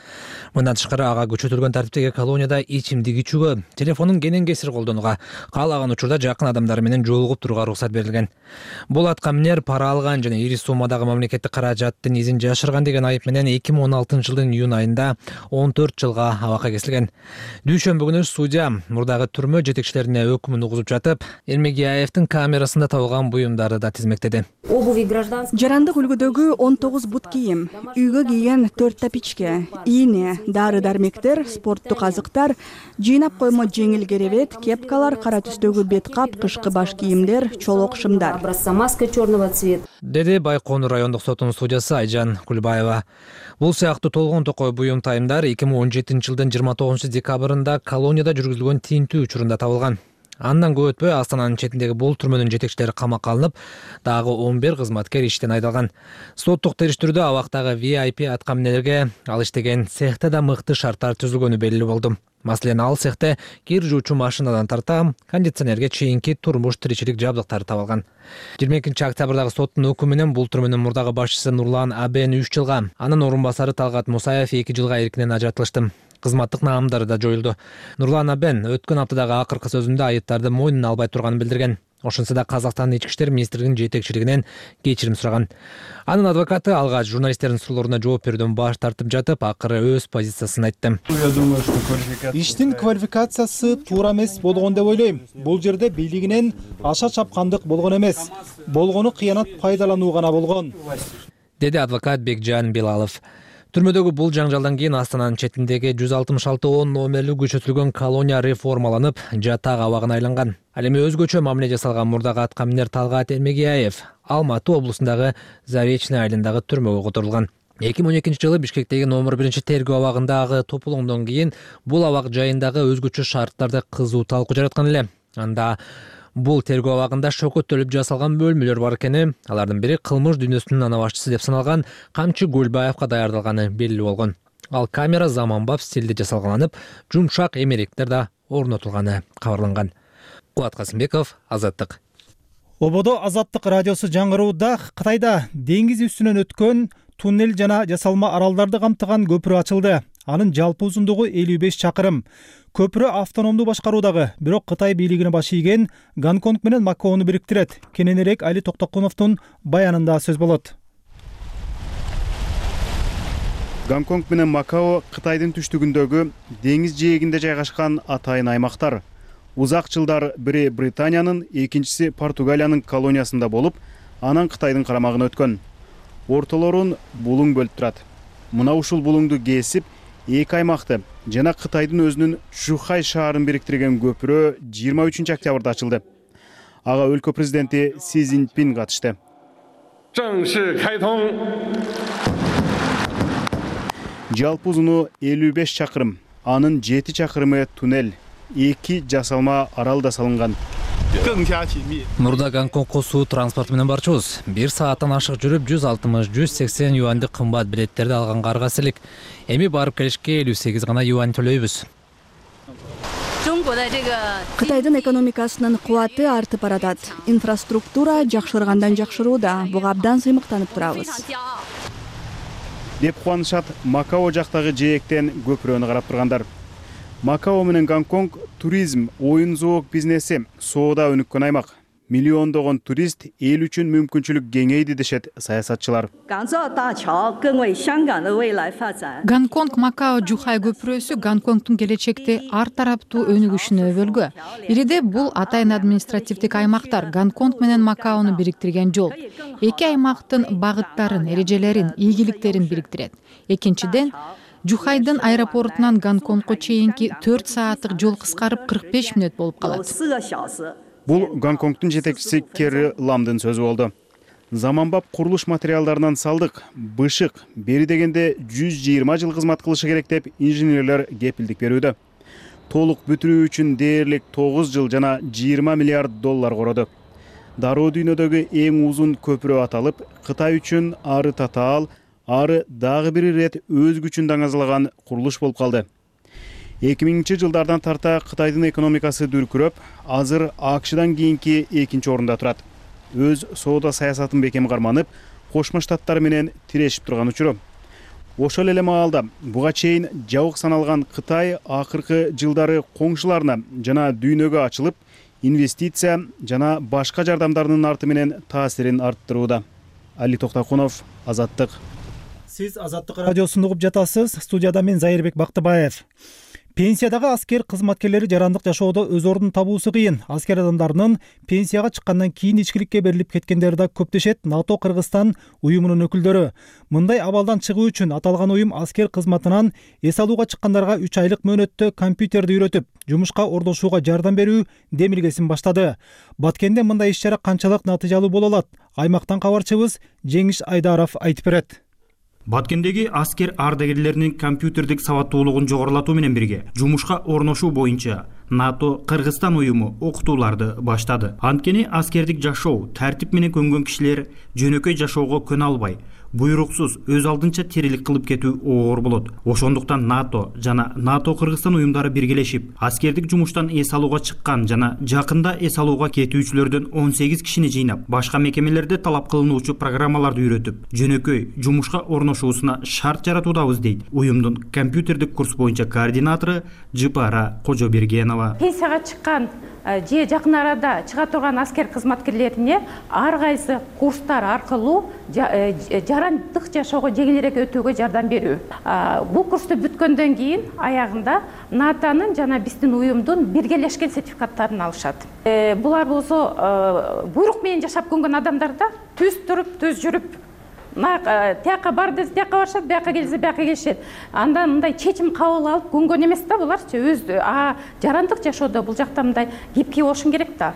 Мындан тышкары ага күчөтүлгөн тартиптеги колонияда ичимдик ичүүгө, телефонун кенен кесир колдонууга, каалаган учурда жакын адамдары менен жолугуп турууга уруксат берилген. Бул аткаминер пара алган жана ири суммадагы мамлекеттик каражаттын изин жашырган деген айып менен 2016-жылдын июнь айында 14 жылга абакка кесилген. Дүйшөмбү күнү судья мурдагы түрмө жетекчилерин өкүмүн угузуп жатып, Эрмегияевдин камерасында табылган буюмдарды да тизмектеди. Жарандык үлгүдөгү 19 бут кийим, үйгө кийген 4 тапичке, ийне, дары-дармектер, спорттук азыктар, жыйнап коймо жеңил керебет, кепкалар, кара түстөгү бет кап, кышкы баш кийимдер, чолок шымдар. Деди Байконур райондук сотунун судьясы Айжан Кулбаева. Бул сыяктуу толгон токой буюм тайымдар 2017-жылдын 29 декабрында колонияда жүргүзүлгөн тинтүү учурунда табылган. Андан көп өтпөй Астананын четиндеги бул түрмөнүн жетекчилери камакка алынып, дагы 11 кызматкер иштен айдалган. Соттук териштирүүдө абактагы VIP аткаминерлерге ал иштеген цехте да мыкты шарттар түзүлгөнү белгилүү болду. Маселен, ал цехте кир жуучу машинадан тарта, кондиционерге чейинки турмуш тиричилик жабдыктары табылган. 22-октябрдагы соттун өкүмү менен бул түрмөнүн мурдагы башчысы Нурлан Абен 3 жылга, анын орун басары Талгат Мусаев 2 жылга эркинен ажыратылышты. Кызматтык наамдары да жоюлду. Нурлан Абен өткөн аптадагы акыркы сөзүндө айыптарды мойнуна албай турганын билдирген. Ошонсо да Казакстандын ички иштер министрлигинин жетекчилигинен кечирим сураган. Анын адвокаты алгач журналисттердин суроолоруна жооп берүүдөн баш тартып жатып, акыры өз позициясын айтты. Иштин квалификациясы туура эмес болгон деп ойлойм. Бул жерде бийлигинен аша чапкандык болгон эмес. Болгону кыянат пайдалануу гана болгон, деди адвокат Бекжан Белалов. Түрмөдөгү бул жаңжалдан кийин Астананын четиндеги 166 номерлүү күчөтүлгөн колония реформаланып, жатак абагына айланган. Ал эми өзгөчө мамиле жасалган мурдагы аткаминер Талгат Эрмегияев Алматы облусундагы Заречный айылындагы түрмөгө которулган. 2012-жылы Бишкектеги номер 1 тергөө абагындагы топулоңдон кийин бул абак жайындагы өзгөчө шарттарды кызуу талкуу жараткан эле. Анда бул тергөө абагында шөкөттөлүп жасалган бөлмөлөр бар экени, алардын бири кылмыш дүйнөсүнүн ана башчысы деп саналган Камчы Гөлбаевка даярдалганы белгилүү болгон. Ал камера заманбап стилде жасалганып, жумшак эмеректер да орнотулганы кабарланган. Кубат Касымбеков, Азаттык. Ободо Азаттык радиосу жаңгырууда Кытайда деңиз үстүнөн өткөн туннель жана жасалма аралдарды камтыган көпүрө ачылды. Анын жалпы узундугу 55 чакырым. Көпүрө автономдуу башкаруудагы, бирок Кытай бийлигине баш ийген Гонконг менен Макаону бириктирет. Кененирээк Али Токтокуновдун баянында сөз болот. Гонконг менен Макао Кытайдын түштүгүндөгү деңиз жээгинде жайгашкан атайын аймактар. Узак жылдар бири Британиянын, экинчиси Португалиянын колониясында болуп, анан Кытайдын карамагына өткөн. Ортолорун булуң бөлүп турат. Мына ушул булуңду кесип, эки аймакты жана Кытайдын өзүнүн Чжухай шаарын бириктирген көпүрө 23 октябрда ачылды. Ага өлкө президенти Си Цзиньпин катышты. Жалпы узуну 55 чакырым, анын 7 чакырымы туннель, 2 жасалма арал да салынган. Мурда Гонконгко суу транспорту менен барчубуз. 1 сааттан ашык жүрүп 160-180 юандык кымбат билеттерди алганга аргасы элек. Эми барып келишке 58 гана юань төлөйбүз. Кытайдын экономикасынын кубаты артып баратат. Инфраструктура жакшыргандан жакшырууда. Буга абдан сыймыктанып турабыз. Деп кубанышат Макао жактагы жээктен көпүрөнү карап тургандар. Макао менен Гонконг туризм, оюн-зоок бизнеси соода өнүккөн аймак. Миллиондогон турист эл үчүн мүмкүнчүлүк кеңейди дешет саясатчылар. Гонконг Макао Чжухай көпүрөсү Гонконгдун келечекте ар тараптуу өнүгүшүнө өбөлгө. Бириде бул атайын административдик аймактар Гонконг менен Макаону бириктирген жол. Эки аймактын багыттарын, эрежелерин, ийгиликтерин бириктирет. Экинчиден, Чжухайдын аэропортунан Гонконгко чейинки 4 сааттык жол кыскарып 45 мүнөт болуп калат. Бул Гонконгдун жетекчиси Керри Ламдын сөзү болду. заманбап курулуш материалдарынан салдык, бышык, бери дегенде 120 жыл кызмат кылышы керек деп инженерлер кепилдик берүүдө. Толук бүтүрүү үчүн дээрлик 9 жыл жана 20 миллиард доллар короду. Дароо дүйнөдөгү эң узун көпүрө аталып, Кытай үчүн ары татаал, ары дагы бир ирет өз күчүн даңазалаган курулуш болуп калды. 2000-жылдардан тарта Кытайдын экономикасы дүркүрөп, азыр АКШдан кийинки экинчи орунда турат. Өз соода саясатын бекем карманып, Кошмо Штаттар менен тирешип турган учуру. Ошол эле маалда буга чейин жабык саналган Кытай акыркы жылдары коңшуларына жана дүйнөгө ачылып, инвестиция жана башка жардамдардын арты менен таасирин арттырууда. Али Токтокунов, Азаттык. Сиз Азаттык радиосун угуп жатасыз. Студияда мен Зайырбек Бактыбаев. Пенсиядагы аскер кызматкерлери жарандык жашоодо өз ордун табуусу кыйын. Аскер адамдарынын пенсияга чыккандан кийин ичкиликке берилип кеткендери да көп дешет НАТО Кыргызстан уюмунун өкүлдөрү. Мындай абалдан чыгуу үчүн аталган уюм аскер кызматынан эс алууга чыккандарга 3 айлык мөөнөттө компьютерди үйрөтүп, жумушка орношууга жардам берүү демилгесин баштады. Баткенде мындай иш-чара канчалык натыйжалуу боло алат? Аймактан кабарчыбыз Жеңиш Айдаров айтып берет. Баткендеги аскер ардагерлеринин компьютердик сабаттуулугун жогорулатуу менен бирге жумушка орношуу боюнча НАТО Кыргызстан уюму окутууларды баштады. Анткени аскердик жашоо тартип менен көнгөн кишилер жөнөкөй жашоого көнө албай, буйруксуз өз алдынча тирилик кылып кетүү оор болот. Ошондуктан НАТО жана НАТО Кыргызстан уюмдары биргелешип, аскердик жумуштан эс алууга чыккан жана жакында эс алууга кетүүчүлөрдөн 18 кишини жыйнап, башка мекемелерде талап кылынуучу программаларды үйрөтүп, жөнөкөй жумушка орношуусуна шарт жаратуудабыз дейт уюмдун компьютердик курс боюнча координатору Жыпара Кожобергенова. Пенсияга чыккан же жакын арада чыга турган аскер кызматкерлерине ар кайсы курстар аркылуу жарандык жашоого жеңилирээк өтүүгө жардам берүү. Бул курсту бүткөндөн кийин аягында НАТОнун жана биздин уюмдун биргелешкен сертификаттарын алышат. Булар болсо буйрук менен жашап көнгөн адамдар да түз туруп, түз жүрүп, тияка бар десе тияка барышат, бияка келсе бияка келишет. Андан мындай чечим кабыл алып көнгөн эмес да буларчы. Өз жарандык жашоодо бул жакта мындай гибкий болушуң керек да.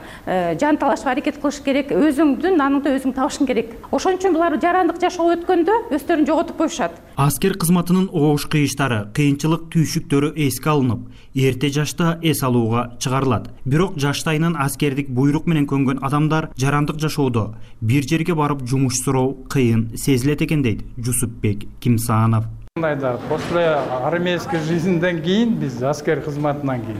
Жан талашып аракет кылыш керек, өзүңдүн аныңды өзүң табышың керек. Ошон үчүн булар жарандык жашоого өткөндө өздөрүн жоготуп коюшат. Аскер кызматынын оош кыйыштары, кыйынчылык түйшүктөрү эске алынып, эрте жашта эс алууга чыгарылат. Бирок жаштайынан аскердик буйрук менен көнгөн адамдар жарандык жашоодо бир жерге барып жумуш суроо кыйын сезилет экен дейт Жусупбек Кимсанов. После армейской жизниден кийин биз аскер кызматынан кийин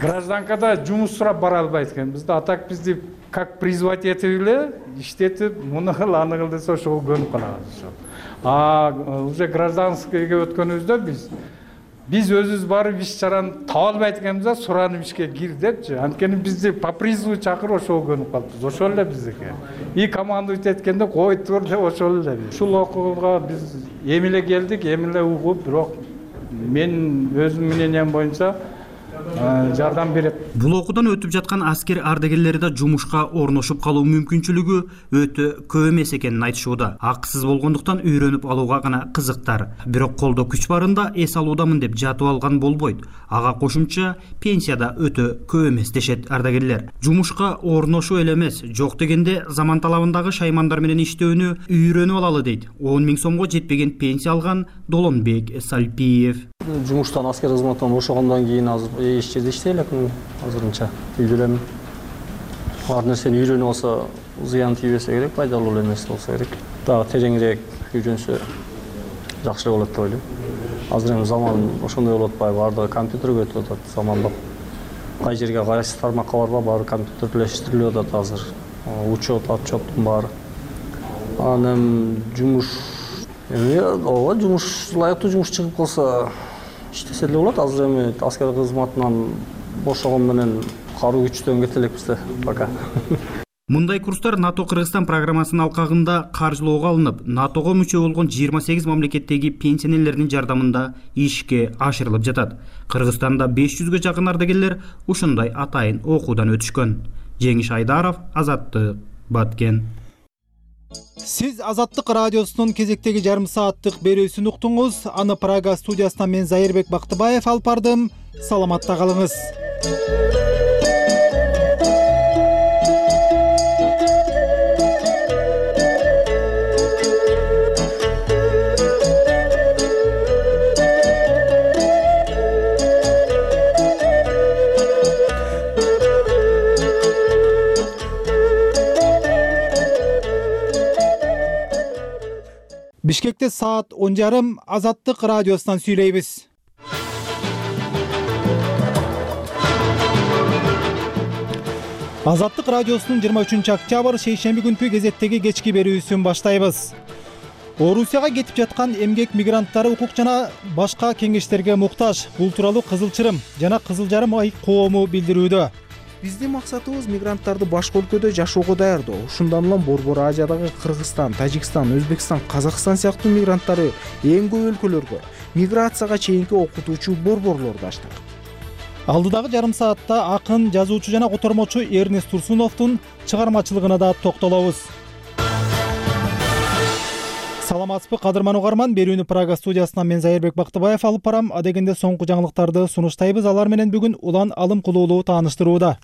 гражданкада жумуш сурап бара албайт экенбиз да. А так бизди как призвать этип эле иштетип, муну кыл, аны кыл десе ошого көнүп калабыз. Уже гражданскийге өткөнүбүздө биз өзүбүз барып иш чараны таба албайт экенбиз да, суранып ишке кир депчи. Анткени бизди по призыву чакырып ошого көнүп калыппыз. Ошол эле биздики. И командовать эткенде кой тур деп ошол эле. Ушул окууга биз эми эле келдик, эми эле угуп, бирок мен өзүмдүн мнением боюнча жардам берет. Бул окуудан өтүп жаткан аскер ардагерлери да жумушка орношуп калуу мүмкүнчүлүгү өтө көп эмес экенин айтышууда. Акысыз болгондуктан үйрөнүп алууга гана кызыктар. Бирок колдо күч барында эс алуудамын деп жатып алган болбойт. Ага кошумча пенсияда өтө көп эмес дешет ардагерлер. Жумушка орношуу эле эмес, жок дегенде заман талабындагы шаймандар менен иштөөнү үйрөнүп алалы дейт 10 000 сомго жетпеген пенсия алган Долонбек Салпиев. Жумуштан аскер кызматынан бошогондон кийин азыр эч жерде иштей элекмин азырынча. Үйдө элемин. Ар нерсени үйрөнүп алса зыян тийбесе керек, пайдалуу эле нерсе болсо керек. Дагы тереңирээк үйрөнсө жакшы болот деп ойлойм. Азыр эми заман ошондой болуп атпайбы, баардыгы компьютерге өтүп атат, замандап. Кай жерге кайсы тармакка барба, баары компьютерлештирилип атат азыр. Учет, отчеттун баары. Анан жумуш ооба, жумуш лайыктуу жумуш чыгып калса иштесе эле болот. Азыр эми аскер кызматынан бошогон менен каруу күчтөн кете элекпиз да пока. Мындай курстар НАТО Кыргызстан программасынын алкагында каржылоого алынып, НАТОго мүчө болгон 28 мамлекеттеги пенсионерлердин жардамында ишке ашырылып жатат. Кыргызстанда 500ге жакын ардагерлер ушундай атайын окуудан өтүшкөн. Жеңиш Айдаров, Азаттык, Баткен. Сиз Азаттык радиосунун кезектеги жарым сааттык берүүсүн уктуңуз. Аны Прага студиясынан мен Зайырбек Бактыбаев алып бардым. Саламатта калыңыз. Бишкекте саат 10:30 Азаттык радиосунан сүйлөйбүз. Азаттык радиосунун 23-октябрь шейшемби күнкү кезеттеги кечки берүүсүн баштайбыз. Орусияга кетип жаткан эмгек мигранттары укук жана башка кеңештерге муктаж. Бул тууралуу Кызыл Чырым жана Кызыл Жарым ай коому билдирүүдө. Биздин максатыбыз мигранттарды башка өлкөдө жашоого даярдоо. Ушундан улам Борбор Азиядагы Кыргызстан, Тажикстан, Өзбекстан, Казакстан сыяктуу мигранттары эң көп өлкөлөргө миграцияга чейинки окутуучу борборлорду ачтык. Алдыдагы жарым саатта акын, жазуучу жана котормочу Эрнест Турсуновдун чыгармачылыгына да токтолобуз. Саламатсызбы кадырман угарман, берүүнү Прага студиясынан мен Зайырбек Бактыбаев алып барам. Адегенде соңку жаңылыктарды сунуштайбыз. Алар менен бүгүн Улан Алым Кулуулуу тааныштырууда.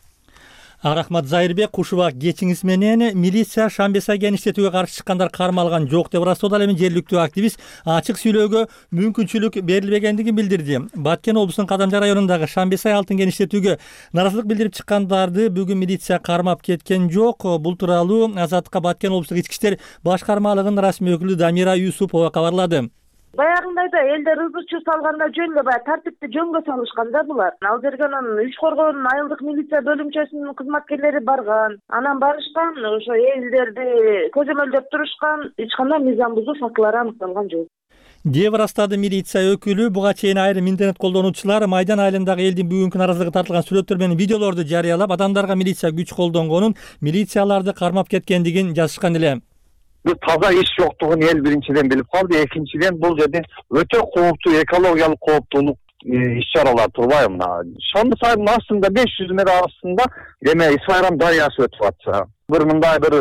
Рахмат Зайырбек, кушубак кечиңиз менен милиция Шамбесай кеңиштетүүгө каршы чыккандар кармалган жок деп ырастоодо ал эми жергиликтүү активист ачык сүйлөөгө мүмкүнчүлүк берилбегендигин билдирди. Баткен облусунун Кадамжа районундагы Шамбесай алтын кеңиштетүүгө наразылык билдирип чыккандарды бүгүн милиция кармап кеткен жок. Бул тууралуу Азаттыкка Баткен облустук ички иштер башкармалыгынын расмий өкүлү Дамира Юсупова кабарлады. Баягындай да элдер ызычуу салганда жөн эле баягы тартипти жөнгө салышкан да булар. Ал жерге анан иш коргоонун айылдык милиция бөлүмчөсүнүн кызматкерлери барган. Анан барышкан, ошо элдерди көзөмөлдөп турушкан, эч кандай мыйзам бузуу фактылары аныкталган жок деп ырастады милиция өкүлү. Буга чейин айрым интернет колдонуучулар Майдан айылындагы элдин бүгүнкү наразылыгы тартылган сүрөттөр менен видеолорду жарыялап, адамдарга милиция күч колдонгонун, милицияларды кармап кеткендигин жазышкан эле. Таза иш жоктугун эл биринчиден билип калды, экинчиден бул жерде өтө кооптуу экологиялык кооптуулук иш-чаралар турбайбы? Мына Шамбесайдын астында 500 метр астында эме Исайрам дарыясы өтүп атса, бир мындай бир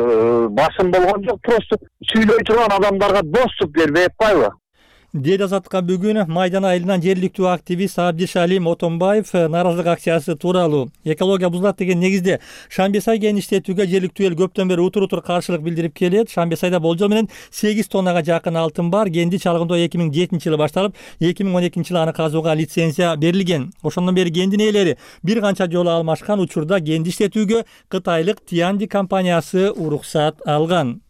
басым болгон жок, просто сүйлөй турган адамдарга доступ бербей атпайбы? Деди Азаттыкка бүгүн Майдан айылынан жергиликтүү активист Абдишалим Отонбаев наразылык акциясы тууралуу. Экология бузулат деген негизде Шамбесай кеңиштетүүгө жергиликтүү эл көптөн бери утур каршылык билдирип келет. Шамбесайда болжол менен 8 тоннага жакын алтын бар. Кенди чалгындоо 2007-жылы башталып, 2012-жылы аны казууга лицензия берилген. Ошондон бери кендин ээлери бир канча жолу алмашкан. Учурда кенди иштетүүгө кытайлык Тианди компаниясы уруксат алган.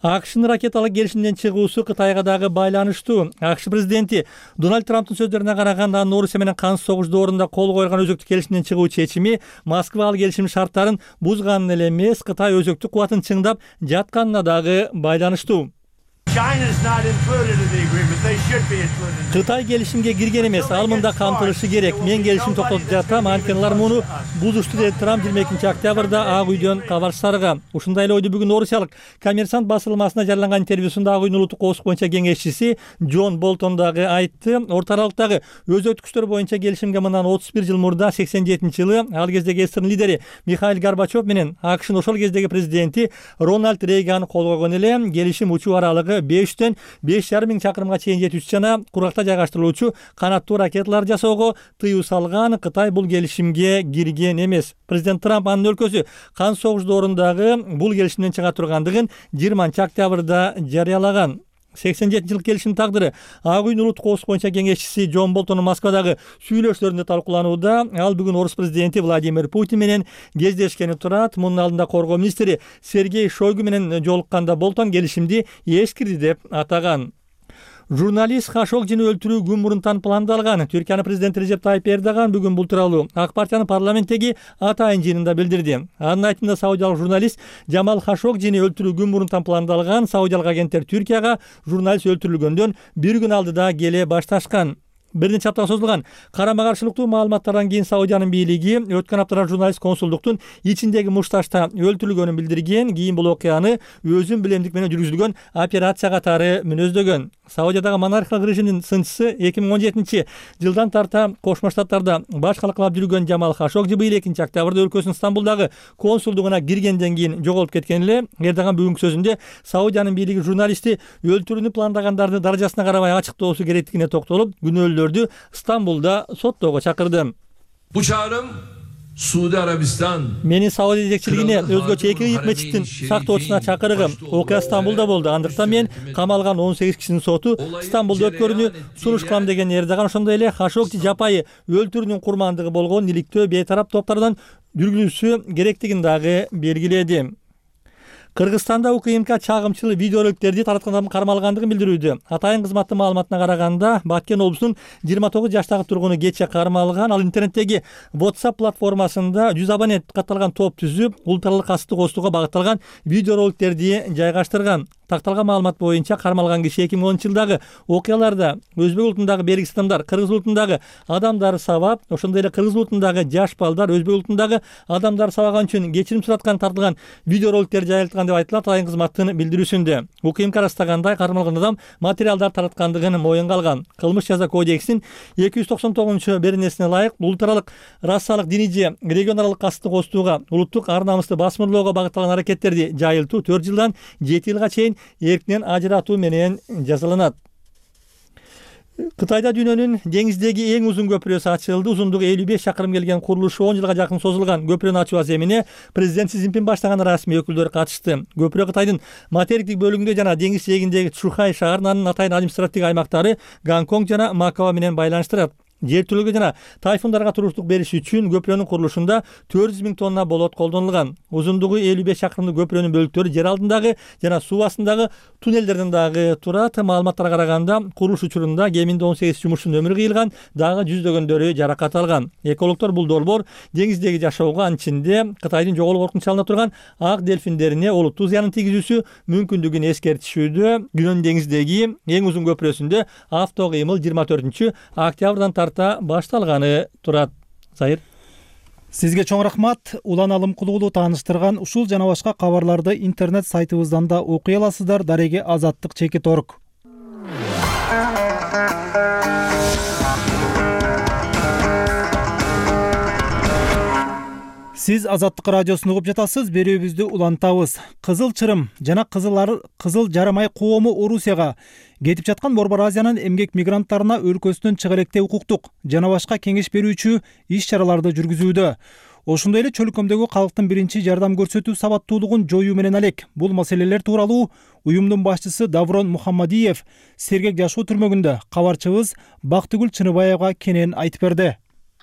АКШнын ракеталык келишимден чыгуусу Кытайга дагы байланыштуу. АКШ президенти Дональд Трамптын сөздөрүнө караганда, анын Орусия менен кансыз согуш доорунда кол койгон өзөктүк келишимден чыгуу чечими Москва ал келишимдин шарттарын бузганын эле эмес, Кытай өзөктүк кубатын чыңдап жатканына дагы байланыштуу. Кытай келишимге кирген эмес, ал мында камтылышы керек. Мен келишим токтотуп жатам, анткени алар муну бузушту деди Трамп 22-октябрда Ак үйдөн кабар сарыга. Ушундай эле ойду бүгүн Орусиялык Коммерсант басылмасына жарыяланган интервьюсунда Ак үйдүн улуттук коопсуздук боюнча кеңешчиси Джон Болтон дагы айтты. Орто аралыктагы өзөктүк күчтөр боюнча келишимге мындан 31 жыл мурда 87-жылы ал кездеги СССР лидери Михаил Горбачев менен АКШнын ошол кездеги президенти Рональд Рейган кол койгон эле. Келишим учуу аралыгы 5-төн 5,5 миң чакырымга чейин жетүүчү жана куракта жайгаштырылуучу канаттуу ракеталар жасоого тыюу салган. Кытай бул келишимге кирген эмес. Президент Трамп анын өлкөсү кансыз согуш доорундагы бул келишимден чыга тургандыгын 20-октябрда жарыялаган. 87-жылдык келишимдин тагдыры Ак үйдүн улуттук коопсуздук боюнча кеңешчиси Джон Болтондун Москвадагы сүйлөшүүлөрүндө талкууланууда. Ал бүгүн Орус президенти Владимир Путин менен кездешкени турат. Мунун алдында коргоо министри Сергей Шойгу менен жолукканда Болтон келишимди эскирди деп атаган. Журналист Хашогжини өлтүрүү күн мурунтан пландалган. Түркиянын президенти Режеп Тайип Эрдоган бүгүн бул тууралуу Ак партиянын парламенттеги атайын жыйынында билдирди. Анын айтымында саудиялык журналист Жамал Хашогжини өлтүрүү күн мурунтан пландалган. Саудиялык агенттер Түркияга журналист өлтүрүлгөндөн бир күн алдыда келе башташкан. Бир нече аптага созулган карама каршылыктуу маалыматтардан кийин Саудиянын бийлиги өткөн аптада журналист консулдуктун ичиндеги мушташта өлтүрүлгөнүн билдирген. Кийин бул окуяны өзүн билемдик менен жүргүзүлгөн операция катары мүнөздөгөн. Саудиядагы монархиялык режимдин сынчысы 2017-жылдан тарта Кошмо Штаттарда башкалыклап жүргөн Жамал Хашогжи быйыл 2-октябрда өлкөсүнүн Стамбулдагы консулдугуна киргенден кийин жоголуп кеткен эле. Эрдоган бүгүнкү сөзүндө Саудиянын бийлиги журналистти өлтүрүүнү пландагандардын даражасына карабай ачыктоосу керектигине токтолуп, күнөөлүүлөрдү Стамбулда соттоого чакырды. Bu çağrım Suudi Arabistan Менин Сауди жетекчилигине өзгөчө эки ыйык мечиттин сактоочусуна чакырыгым. Окуя Стамбулда болду. Андыктан мен камалган 18 кишинин соту Стамбулда өткөрүүнү сунуш кылам деген Эрдоган ошондой эле Хашогжи жапайы өлтүрүүнүн курмандыгы болгон иликтөө бейтарап топтордон жүргүзүлүшү керектигин дагы белгиледи. Кыргызстанда УКМК чагымчыл видеороликтерди тараткандан кармалгандыгын билдирүүдө. Атайын кызматтын маалыматына караганда, Баткен облусунун 29 жаштагы тургуну кече кармалган. Ал интернеттеги WhatsApp платформасында 100 абонент катталган топ түзүп, улуттаралык касыпты костууга багытталган видеороликтерди жайгаштырган. Такталган маалымат боюнча кармалган киши 2010-жылдагы окуяларда өзбек улутундагы белгисиз адамдар, кыргыз улутундагы адамдар сабап, ошондой эле кыргыз улутундагы жаш балдар өзбек улутундагы адамдар сабаган үчүн кечирим сураткан тартылган видеороликтер жайылткан деп айтылат атайын кызматтын билдирүүсүндө. УКМК ырастагандай кармалган адам материалдар тараткандыгын моюнга алган. Кылмыш жаза кодексинин 299-беренесине ылайык улуттаралык расалык, диний же регионалдык касыпты костууга, улуттук ар намысты басмырлоого багытталган аракеттерди жайылтуу 4 жылдан 7 жылга чейин эркинен ажыратуу менен жазаланат. Кытайда дүйнөнүн деңиздеги эң узун көпүрөсү ачылды. Узундугу 55 чакырым келген курулушу 10 жылга жакын созулган көпүрөнү ачуу аземине президент Си Цзиньпин баштаган расмий өкүлдөр катышты. Көпүрө Кытайдын материктик бөлүгүндө жана деңиз жээгиндеги Чжухай шаарынын анын атайын административдик аймактары Гонконг жана Макао менен байланыштырат. Жер түлүгү жана тайфундарга туруштук бериш үчүн көпүрөнүн курулушунда 400 000 тонна болот колдонулган. Узундугу 55 чакырымдык көпүрөнүн бөлүктөрү жер алдындагы жана суу астындагы туннелдерден дагы турат. Маалыматтарга караганда, курулуш учурунда кеминде 18 жумушчунун өмүрү кыйылган, дагы жүздөгөндөрү жаракат алган. Экологдор бул долбоор деңиздеги жашоого, анын ичинде Кытайдын жоголуу коркунучалана турган ак дельфиндерине олуттуу зыянын тийгизүүсү мүмкүндүгүн эскертишүүдө. Дүйнөнүн деңиздеги эң узун көпүрөсүндө авто кыймыл 24-октябрдан башталганы турат. Сайыр. Сизге чоң рахмат. Улан Алымкулуулу тааныштырган ушул жана башка кабарларды интернет сайтыбыздан да окуй аласыздар. Дареге Азаттык Чекит.org. Сиз Азаттык радиосун угуп жатасыз. Берүүбүздү улантабыз. Кызыл Чырым жана Кызыл Жарым Ай коому Орусияга кетип жаткан Борбор Азиянын эмгек мигранттарына өлкөсүнөн чыга электе укуктук жана башка кеңеш берүүчү иш-чараларды жүргүзүүдө. Ошондой эле чөлкөмдөгү калктын биринчи жардам көрсөтүү сабаттуулугун жоюу менен алек. Бул маселелер тууралуу уюмдун башчысы Даврон Мухаммадиев сергек жашоо түрмөгүндө кабарчыбыз Бактыгүл Чыныбаевга кенен айтып берди.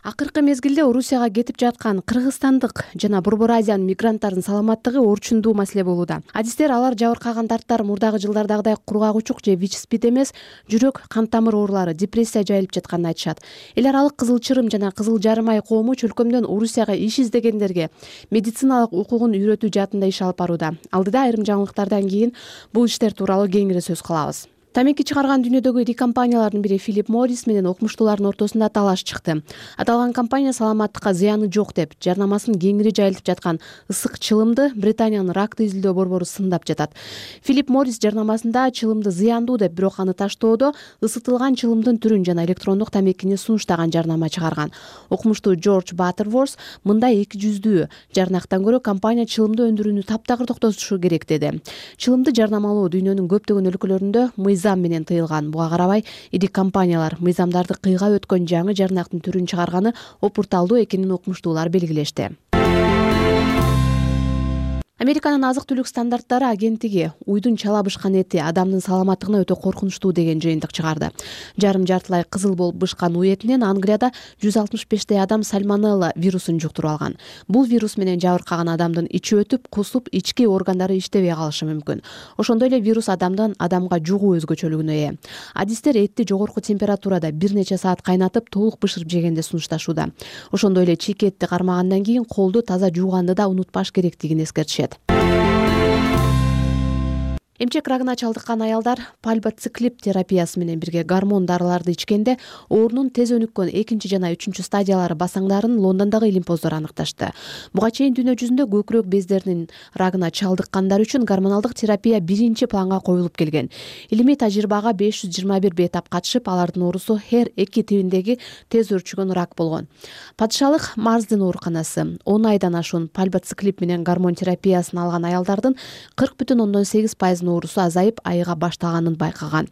Акыркы мезгилде Орусияга кетип жаткан кыргызстандык жана Борбор Азиянын мигранттарынын саламаттыгы орчундуу маселе болууда. Адистер алар жабыркаган дарттар мурдагы жылдардагыдай кургак-учук же ВИЧ-СПИД эмес, жүрөк, кан тамыр оорулары, депрессия жайылып жатканын айтышат. Эл аралык Кызыл Чырым жана Кызыл Жарым Ай коому чөлкөмдөн Орусияга иш издегендерге медициналык укугун үйрөтүү жаатында иш алып барууда. Алдыда айрым жаңылыктардан кийин бул иштер тууралуу кеңири сөз кылабыз. Тамеки чыгарган дүйнөдөгү ири компаниялардын бири Филипп Моррис менен окумуштуулардын ортосунда талаш чыкты. Аталган компания саламаттыкка зыяны жок деп, жарнамасын кеңири жайылтып жаткан ысык чылымды Британиянын ракты изилдөө борбору сындап жатат. Филипп Моррис жарнамасында чылымды зыяндуу деп, бирок аны таштоодо ысытылган чылымдын түрүн жана электрондук тамекини сунуштаган жарнама чыгарган. Окумуштуу Джордж Баттерворс мындай эки жүздүү жарнактан көрө компания чылымды өндүрүүнү таптагыр токтотушу керек деди. Чылымды жарнамалоо дүйнөнүн көптөгөн өлкөлөрүндө мыйзам менен тыйылган. Буга карабай, ири компаниялар мыйзамдарды кыйгап өткөн жаңы жарнактын түрүн чыгарганы опурталдуу экенин окумуштуулар белгилешти. Американын азык-түлүк стандарттары агенттиги уйдун чала бышкан эти адамдын саламаттыгына өтө коркунучтуу деген жыйынтык чыгарды. Жарым-жартылай кызыл болуп бышкан уй этинен Англияда 165 адам сальмонелла вирусун жуктуруп алган. Бул вирус менен жабыркаган адамдын ичи өтүп, кусуп, ички органдары иштебей калышы мүмкүн. Ошондой эле вирус адамдан адамга жугуу өзгөчөлүгүнө ээ. Адистер этти жогорку температурада бир нече саат кайнатып, толук бышырып жегенди сунушташууда. Ошондой эле чийки этти кармагандан кийин колду таза жууганды да унутпаш керектигин эскертишет. Эмчек рагына чалдыккан аялдар пальбоциклип терапиясы менен бирге гормон дарыларды ичкенде оорунун тез өнүккөн 2 жана 3 стадиялары басаңдарын Лондондогу илимпоздор аныкташты. Буга чейин дүйнө жүзүндө көкүрөк бездеринин рагына чалдыккандар үчүн гормоналдык терапия биринчи планга коюлуп келген. Илимий тажрыйбага 521 бейтап катышып, алардын оорусу HER2 тибиндеги тез өрчүгөн рак болгон. Падышалык Марсдын ооруканасы 10 айдан ашуун пальбоциклип менен гормон терапиясын алган аялдардын 40,8% оорусу азайып, айыга баштаганын байкаган.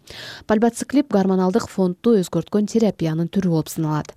Пальбоциклип гормоналдык фондду өзгөрткөн терапиянын түрү болуп саналат.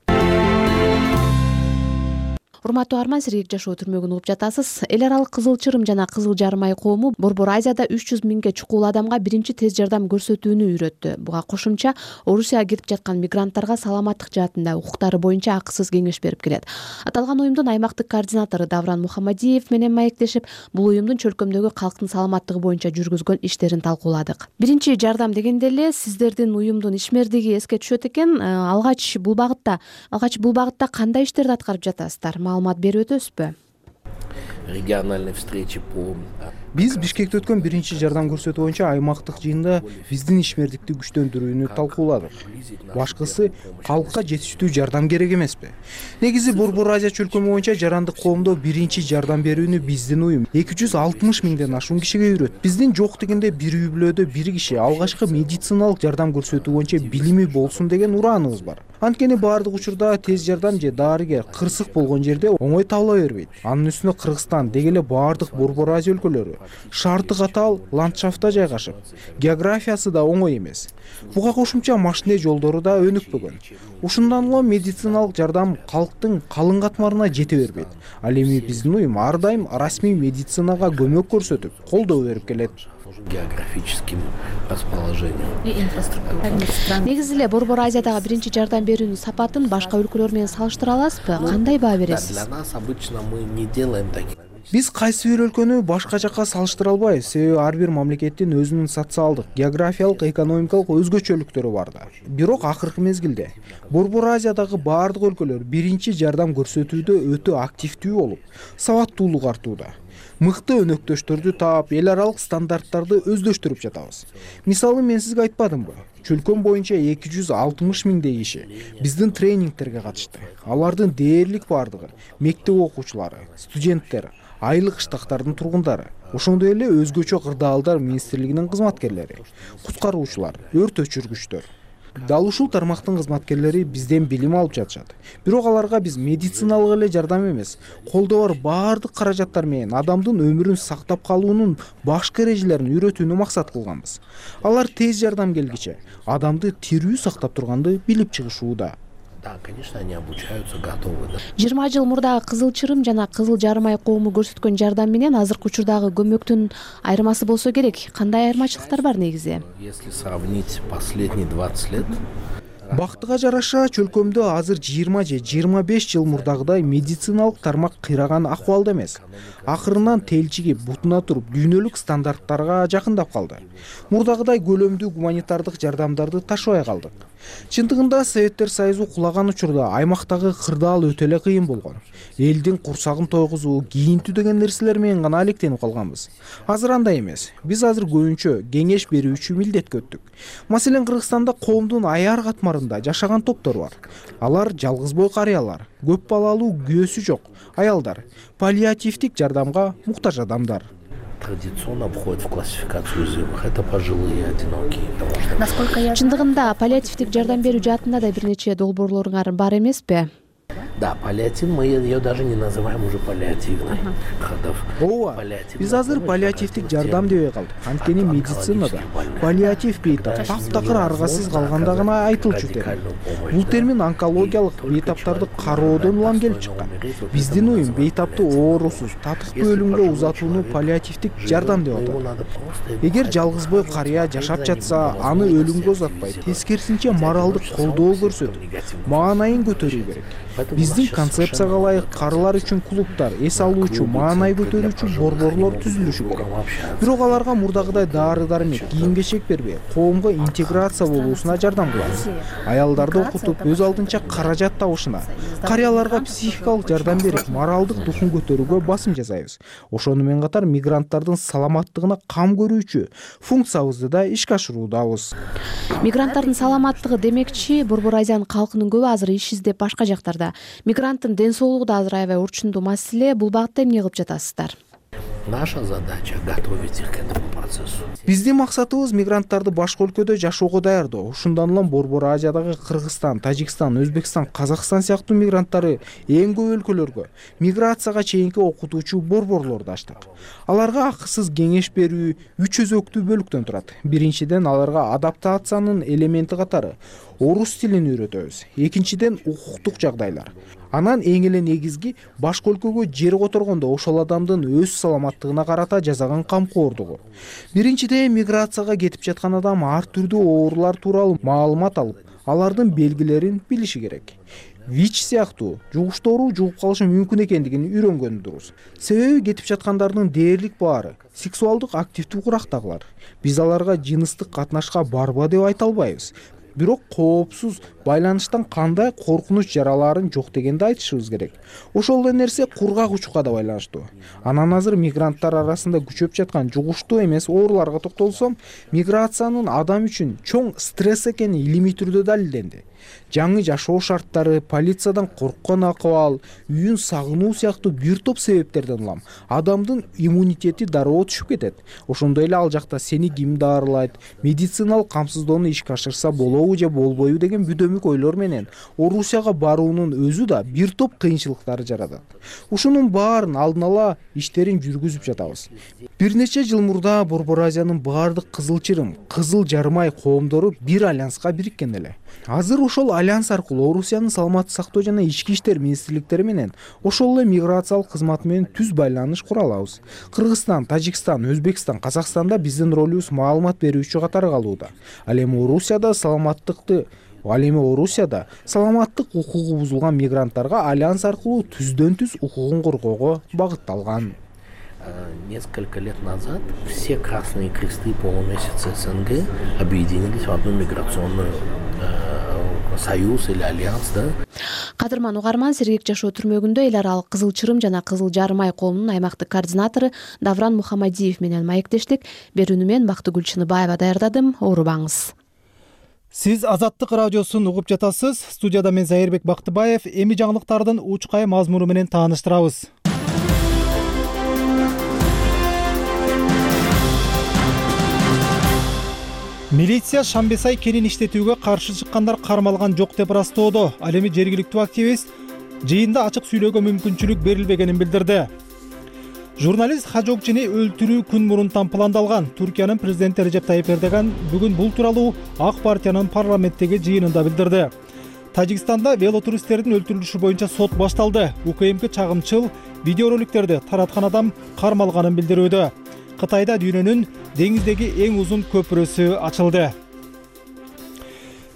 урматтуу арман, сирек жашоо түрмөгүн угуп жатасыз. Эл аралык Кызыл Чырым жана Кызыл Жарым ай коому Борбор Азияда 300 миңге чукул адамга биринчи тез жардам көрсөтүүнү үйрөттү. Буга кошумча Орусияга кетип жаткан мигранттарга саламаттык жаатында укуктары боюнча акысыз кеңеш берип келет. Аталган уюмдун аймактык координатору Давран Мухаммадиев менен маектешип, бул уюмдун чөлкөмдөгү калктын саламаттыгы боюнча жүргүзгөн иштерин талкууладык. Биринчи жардам дегенде эле сиздердин уюмдун ишмердиги эске түшөт экен. Алгач бул багытта кандай иштерди аткарып жатасыздар? Маалымат берип өтөсүзбү? Региональной встречи по... Биз Бишкекте өткөн биринчи жардам көрсөтүү боюнча аймактык жыйында биздин ишмердикти күчтөндүрүүнү талкууладык. Башкысы калкка жетиштүү жардам керек эмеспи? Негизи Борбор Азия чөлкөмү боюнча жарандык коомдо биринчи жардам берүүнү биздин уюм 260 миңден ашуун кишиге үйрөттү. Биздин жок дегенде бир үй-бүлөдө бир киши алгачкы медициналык жардам көрсөтүү боюнча билими болсун деген урааныбыз бар. Анткени баардык учурда тез жардам же дарыгер кырсык болгон жерде оңой табыла бербейт. Анын үстүнө Кыргызстан деги эле баардык Борбор Азия өлкөлөрү шарты катаал ландшафтта жайгашып, географиясы да оңой эмес. Буга кошумча машине жолдору да өнүкпөгөн. Ушундан улам медициналык жардам калктын калың катмарына жете бербейт. Ал эми биздин уюм ар дайым расмий медицинага көмөк көрсөтүп, колдоо берип келет. Географическим расположением и инфраструктура. Негизи эле Борбор Азиядагы биринчи жардам берүүнүн сапатын башка өлкөлөр менен салыштыра аласызбы? Кандай баа бересиз? Для нас обычно мы не делаем таких. Биз кайсы бир өлкөнү башка жакка салыштыра албайбыз, себеби ар бир мамлекеттин өзүнүн социалдык, географиялык, экономикалык өзгөчөлүктөрү бар да. Бирок акыркы мезгилде Борбор Азиядагы баардык өлкөлөр биринчи жардам көрсөтүүдө өтө активдүү болуп, сабаттуулук артууда. Мыкты өнөктөштөрдү таап, эл аралык стандарттарды өздөштүрүп жатабыз. Мисалы, мен сизге айтпадымбы? Чөлкөм боюнча 260 миңдей киши биздин тренингтерге катышты. Алардын дээрлик бардыгы мектеп окуучулары, студенттер, айлык штаттардын тургундары, ошондой эле өзгөчө кырдаалдар министрлигинин кызматкерлери, куткаруучулар, өрт өчүргүчтөр. Дал ушул тармактын кызматкерлери бизден билим алып жатышат. Бирок аларга биз медициналык эле жардам эмес, колдо бар баардык каражаттар менен адамдын өмүрүн сактап калуунун башкы эрежелерин үйрөтүүнү максат кылганбыз. Алар тез жардам келгиче адамды тирүү сактап турганды билип чыгышууда. Да, конечно, они обучаются, готовы. 20 жыл мурдагы Кызыл Чырым жана Кызыл Жарым ай коому көрсөткөн жардам менен азыркы учурдагы көмөктүн айырмасы болсо керек. Кандай айырмачылыктар бар негизи? Если сравнить последние 20 лет, бактыга жараша чөлкөмдө азыр 20 же 25 жыл мурдагыдай медициналык тармак кыйраган акыбалда эмес. Акырынан телчиги бутуна туруп дүйнөлүк стандарттарга жакындап калды. Мурдагыдай көлөмдүү гуманитардык жардамдарды ташыбай калдык. Чындыгында Советтер Союзу кулаган учурда аймактагы кырдаал өтө эле кыйын болгон. Элдин курсагын тойгузуу, кийинтүү деген нерселер менен гана алектенип калганбыз. Азыр андай эмес. Биз азыр көбүнчө кеңеш берүүчү милдетке өттүк. Маселен, Кыргызстанда коомдун аяр катмарында жашаган топтор бар. Алар жалгыз бой карыялар, көп балалуу күйөөсү жок аялдар, паллиативдик жардамга муктаж адамдар. Традиционно входит в классификацию уязвимых. Это пожилые, одинокие. Чындыгында паллиативдик жардам берүү жаатында да бир нече долбоорлоруңар бар эмеспи? Да, паллиатив, мы ее даже не называем уже паллиативной. Ооба, биз азыр паллиативдик жардам дебей калдык. Анткени медицинада паллиатив бейтап таптакыр аргасыз калганда гана айтылчу термин. Бул термин онкологиялык бейтаптарды кароодон улам келип чыккан. Биздин уюм бейтапты оорусуз, татыктуу өлүмгө узатууну паллиативдик жардам деп атат. Эгер жалгыз бой карыя жашап жатса, аны өлүмгө узатпай, тескерисинче моралдык колдоо көрсөтүп, маанайын көтөрүү керек. Биздин концепцияга ылайык карылар үчүн клубтар, эс алуучу, маанай көтөрүүчү борборлор түзүлүшү керек. Бирок аларга мурдагыдай дары-дармек, кийим-кечек бербей, коомго интеграция болуусуна жардам кылабыз. Аялдарды окутуп, өз алдынча каражат табышына, карыяларга психикалык жардам берип, моралдык духун көтөрүүгө басым жасайбыз. Ошону менен катар мигранттардын саламаттыгына кам көрүүчү функциябызды да ишке ашыруудабыз. Мигранттардын саламаттыгы демекчи, Борбор Азиянын калкынын көбү азыр иш издеп башка жактарда. Мигранттын ден соолугу да азыр аябай урчундуу маселе. Бул багытта эмне кылып жатасыздар? Наша задача готовить их к этому процессу. Биздин максатыбыз мигранттарды башка өлкөдө жашоого даярдоо. Ушундан улам Борбор Азиядагы Кыргызстан, Тажикстан, Өзбекстан, Казакстан сыяктуу мигранттары эң көп өлкөлөргө миграцияга чейинки окутуучу борборлорду ачтык. Аларга акысыз кеңеш берүү 3 өзөктүү бөлүктөн турат. Биринчиден, аларга адаптациянын элементи катары орус тилин үйрөтөбүз. Экинчиден, укуктук жагдайлар. Анан эң эле негизги башка өлкөгө жер которгондо ошол адамдын өз саламаттыгына карата жасаган камкордугу. Биринчиден, миграцияга кетип жаткан адам ар түрдүү оорулар тууралуу маалымат алып, алардын белгилерин билиши керек. ВИЧ сыяктуу жугуштоору жугуп калышы мүмкүн экендигин үйрөнгөнү дурус. Себеби кетип жаткандардын дээрлик баары сексуалдык активдүү курактагылар. Биз аларга жыныстык катнашка барба деп айта албайбыз. Бирок коопсуз байланыштан кандай коркунуч жараларын жок дегенди айтышыбыз керек. Ошол эле нерсе кургак учукка да байланыштуу. Анан азыр мигранттар арасында күчөп жаткан жугуштуу эмес ооруларга токтолсом, миграциянын адам үчүн чоң стресс экени илимий түрдө далилденди. Жаңы жашоо шарттары, полициядан корккон акыбал, үйүн сагынуу сыяктуу бир топ себептерден улам адамдын иммунитети дароо түшүп кетет. Ошондой эле ал жакта сени ким даарылайт, медициналык камсыздоону ишке ашырса болобу же болбойбу деген бүдөмүк ойлор менен Орусияга баруунун өзү да бир топ кыйынчылыктарды жаратат. Ушунун баарын алдын ала иштерин жүргүзүп жатабыз. Бир нече жыл мурда Борбор Азиянын баардык кызыл чырым, кызыл жармай коомдору бир альянска бириккен эле. Азыр ошол альянс аркылуу Орусиянын саламаттык сактоо жана ички иштер министрликтери менен ошол эле миграциялык кызматы менен түз байланыш кура алабыз. Кыргызстан, Тажикстан, Өзбекстан, Казакстанда биздин ролубуз маалымат берүүчү катары калууда. Ал эми Орусияда саламаттык укугу бузулган мигранттарга альянс аркылуу түздөн-түз укугун коргоого багытталган. Несколько лет назад все красные кресты полумесяца СНГ объединились в одну миграционную союз или альянс, да? Кадырман угарман, Сергек жашоо түрмөгүндө эл аралык кызыл чырым жана кызыл жармай коомунун аймактык координатору Давран Мухамадиев менен маектештик. Берүүнү мен Бактыгүл Чыныбаева даярдадым. Оорубаңыз. Сиз Азаттык радиосун угуп жатасыз. Студияда мен Зайырбек Бактыбаев. Эми жаңылыктардын учкай мазмуну менен тааныштырабыз. Милиция Шамбесай кенин иштетүүгө каршы чыккандар кармалган жок деп ырастоодо. Ал эми жергиликтүү активист жыйында ачык сүйлөөгө мүмкүнчүлүк берилбегенин билдирди. Журналист Хажокчини өлтүрүү күн мурун пландалган. Түркиянын президенти Режеп Тайип Эрдоган бүгүн бул тууралуу Ак партиянын парламенттеги жыйынында билдирди. Тажикстанда велотуристтердин өлтүрүлүшү боюнча сот башталды. УКМК чагымчыл видеороликтерди тараткан адам кармалганын билдирүүдө. Кытайда дүйнөнүн деңиздеги эң узун көпүрөсү ачылды.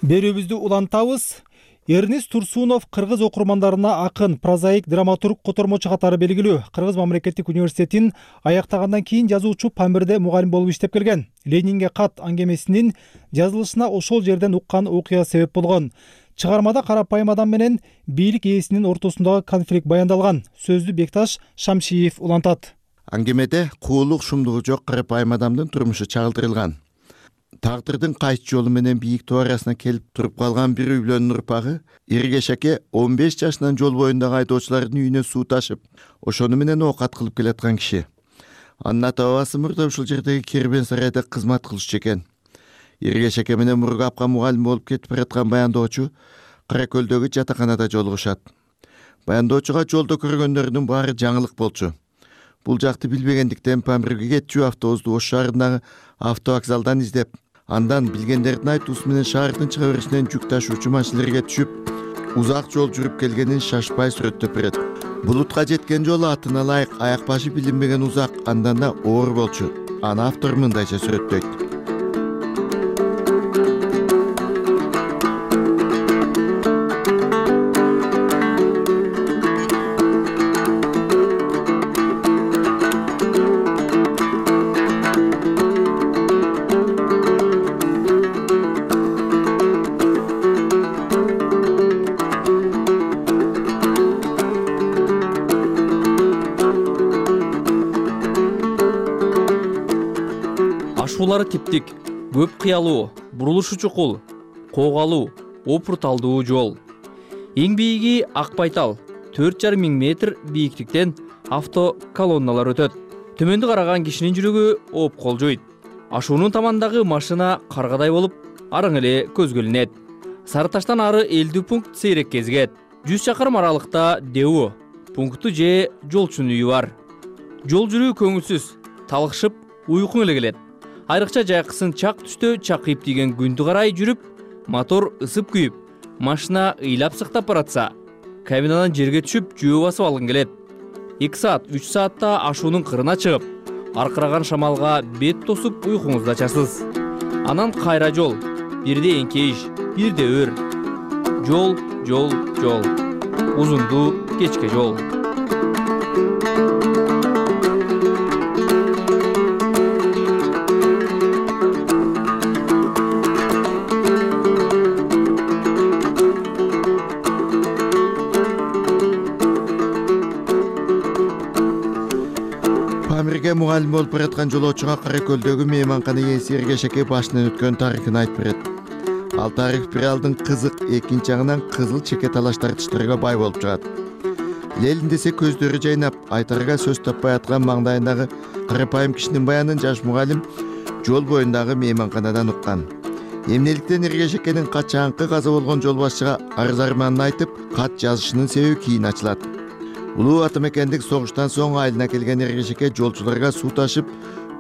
Берүүбүздү улантабыз. Эрнис Турсунов кыргыз окурмандарына акын, прозаик, драматург, котормочу катары белгилүү. Кыргыз мамлекеттик университетин аяктагандан кийин жазуучу Памирде мугалим болуп иштеп келген. Ленинге кат аңгемесинин жазылышына ошол жерден уккан окуя себеп болгон. Чыгармада карапайым адам менен бийлик ээсинин ортосундагы конфликт баяндалган. Сөздү Бекташ Шамшиев улантат. Аңгемеде куулук шумдугу жок карапайым адамдын турмушу чагылдырылган. Тагдырдын кайсы жолу менен бийик тоо арасына келип туруп калган бир үй бүлөнүн урпагы Иргешеке 15 жашынан жол боюндагы айдоочулардын үйүнө суу ташып, ошону менен оокат кылып келаткан киши. Анын ата-бабасы мурда ушул жердеги Кербен сарайда кызмат кылышчу экен. Иргешеке менен Мургапка мугалим болуп кетип бараткан баяндоочу Кара Көлдөгү жатаканада жолугушат. Баяндоочуга жолдо көргөндөрүнүн баары жаңылык болчу. Бул жакты билбегендиктен Памирге кетчү автобусту Ош шаарындагы автовокзалдан издеп, андан билгендердин айтуусу менен шаардын чыга беришинен жүк ташуучу машинелерге түшүп, узак жол жүрүп келгенин шашпай сүрөттөп берет. Булутка жеткен жолу атына ылайык аяк башы билинбеген узак, андан да оор болчу. Аны автор мындайча сүрөттөйт. Ашуулары типтик, көп кыялуу, бурулушу чукул, коогалуу, опурталдуу жол. Эң бийиги Акбайтал, 4,5 метр бийиктиктен автоколонналар өтөт. Төмөндү караган кишинин жүрөгү ооп колжойт. Ашуунун тамандагы машина каргадай болуп, арың эле көзгө илинет. Сары Таштан ары элдүү пункт сейрек кезигет. 100 чакырым аралыкта Деу пункту же жолчунун үйү бар. Жол жүрүү көңүлсүз, талыкшып, уйкуң эле келет. Айрыкча жайкысын чак түштө чакыйып тийген күндү карай жүрүп, мотор ысып күйүп, машина ыйлап сыктап баратса, кабинадан жерге түшүп жөө басып алгың келет. 2 саат 3 саатта ашуунун кырына чыгып, аркыраган шамалга бет тосуп уйкуңузду ачасыз. Анан кайра жол, бирде эңкейиш, бирде өр. Жол, жол, жол. Узунду кечке жол. Памирге мугалим болуп бараткан жолоочуга Каракөлдөгү мейманкана ээси Эргешеке башынан өткөн тарыхын айтып берет. Ал тарых бир алдын кызык, экинчи жагынан кызыл чеке талаш тартыштарга бай болуп чыгат. Лелин десе көздөрү жайнап, айтарга сөз таппай аткан маңдайындагы карапайым кишинин баянын жаш мугалим жол боюндагы мейманканадан уккан. Эмнеликтен Эргешекенин качаанкы каза болгон жол башчыга арыз арманын айтып, кат жазышынын себеби кийин ачылат. Улуу атамекендик согуштан соң айылына келген Эргешеке жолчуларга суу ташып,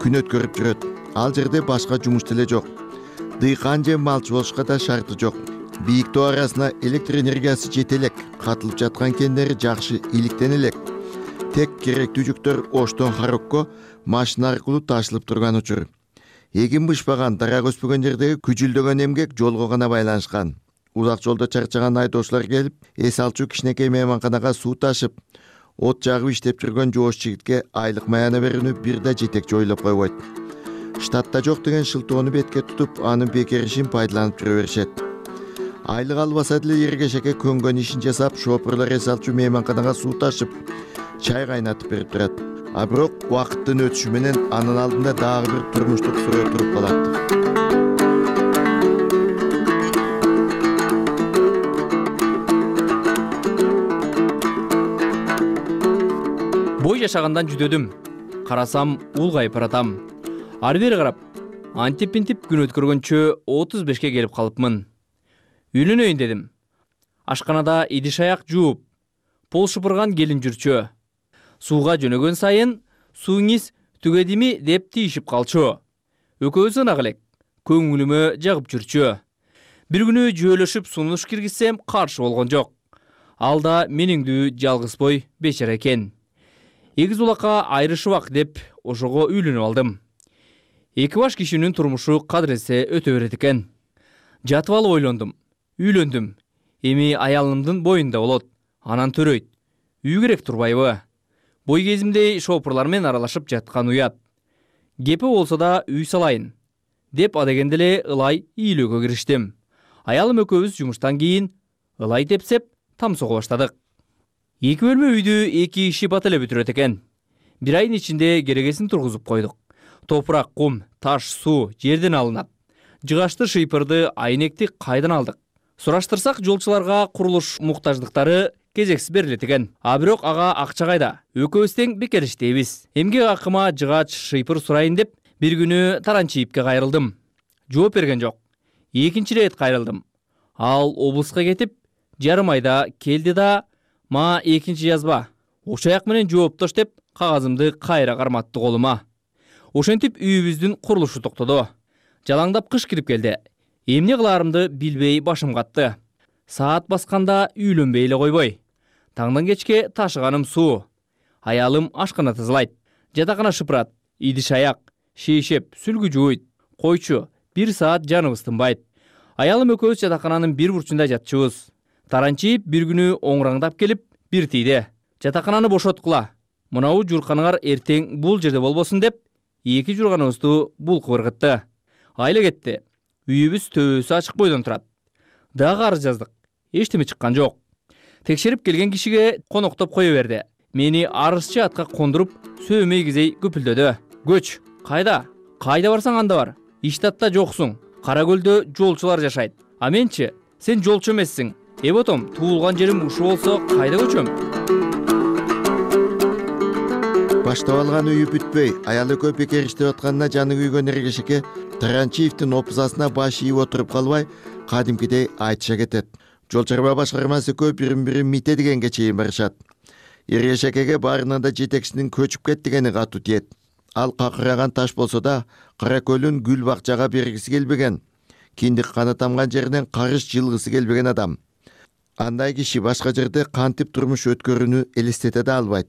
күн өткөрүп жүрөт. Ал жерде башка жумуш деле жок. Дыйкан же малчы болушка да шарты жок. Бийик тоо арасына электр энергиясы жете элек, катылып жаткан кендери жакшы иликтен элек. Тек керектүү жүктөр Оштон Харокко машина аркылуу ташылып турган учур. Эгин бышпаган, дарак өспөгөн жердеги күжүлдөгөн эмгек жолго гана байланышкан. Узак жолдо чарчаган айдоочулар келип, эс алчу кичинекей мейманканага суу ташып, от жагып иштеп жүргөн жоош жигитке айлык маяна берүүнү бир да жетекчи ойлоп койбойт. Штатта жок деген шылтоону бетке тутуп, анын бекер ишин пайдаланып жүрө беришет. Айлык албаса деле Эргешеке көнгөн ишин жасап, шопурлар эс алчу мейманканага суу ташып, чай кайнатып берип турат. А бирок убакыттын өтүшү менен анын алдында дагы бир турмуштук суроо туруп калат. Бой жашагандан жүдөдүм. Карасам улгайып баратам. Ары бери карап, антип-интип күн өткөргөнчө 35ке келип калыпмын. Үйлөнөйүн дедим. Ашканада идиш аяк жууп, пол шыпырган келин жүрчү. Сууга жөнөгөн сайын сууңиз түгедими деп тийишип калчу. Экөөбүз ынак элек, көңүлүмө жагып жүрчү. Бир күнү жөөлөшүп сунуш киргизсем каршы болгон жок. Ал да мениңдүү жалгыз бой бечара экен. Эгиз улакка айрышыбак деп ошого үйлөнүп алдым. Эки баш кишинин турмушу кадыресе өтө берет экен. Жатып алып ойлондум. Үйлөндүм. Эми аялымдын боюнда болот. Анан төрөйт. Үй керек турбайбы? Бой кезимде шопурлар менен аралашып жаткан уят. Кепи болсо да үй салайын деп адегенде эле ылай ийлөөгө кириштим. Аялым экөөбүз жумуштан кийин ылай тепсеп там сого баштадык. 2 бөлмө үйдү 2 иши бат эле бүтүрөт экен. Бир айдын ичинде керегесин тургузуп койдук. Топурак, кум, таш, суу жерден алынат. Жыгачты, шыйпырды, айнекти кайдан алдык? Сураштырсак, жолчуларга курулуш муктаждыктары кезексиз берилет экен. А бирок ага акча кайда? Экөөбүз тең бекер иштейбиз. Эмгек акыма жыгач, шыйпыр сурайын деп бир күнү Таранчиевке кайрылдым. Жооп берген жок. Экинчи рет кайрылдым. Ал облуска кетип, жарым айда келди да, ма экинчи жазба. Ошаяк менен жооптош деп кагазымды кайра карматты колума. Ошентип үйүбүздүн курулушу токтоду. Жалаңдап кыш кирип келди. Эмне кылаарымды билбей башым катты. Саат басканда үйлөнбей эле койбой. Таңдан кечке ташыганым суу. Аялым ашкана тазалайт. Жатакана шыпырат. Идиш аяк, шейшеп, сүлгү жууйт. Койчу, 1 саат жаныбыз тынбайт. Аялым экөөбүз жатакананын бир бурчунда жатчубуз. Таранчиев бир күнү оңраңдап келип, бир тийди. Жатакананы бошоткула. Мынау журканыңар эртең бул жерде болбосун деп, 2 журганыбызды булкуп ыргытты. Айла кетти. Үйүбүз төбөсү ачык бойдон турат. Дагы арыз жаздык. Эчтеме чыккан жок. Текшерип келген кишиге коноктоп кое берди. Мени арызчы атка кондуруп, сөөмөй кизей көпүлдөдү. Көч, кайда? Кайда барсаң анда бар. Иштатта жоксуң. Каракөлдө жолчулар жашайт. А менчи, сен жолчу эмессиң. Эботом, туулган жерим ушу болсо кайда көчөм? Баштап алган үйү бүтпөй, аялы көп бекер иштеп атканына жаны күйгөн Эргешеке Таранчиевдин опузасына баш ийип отуруп калбай, кадимкидей айтыша кетет. Жол чарба башкармасы көп бирин мите дегенге чейин барышат. Эргешекеге баарынан да жетекчинин көчүп кет дегени катуу тиет. Ал какыраган таш болсо да Каракөлүн гүл бакчага бергиси келбеген. Киндик каны тамган жеринен карыш жылгысы келбеген адам. андай киши башка жерде кантип турмуш өткөрүүнү элестете да албайт.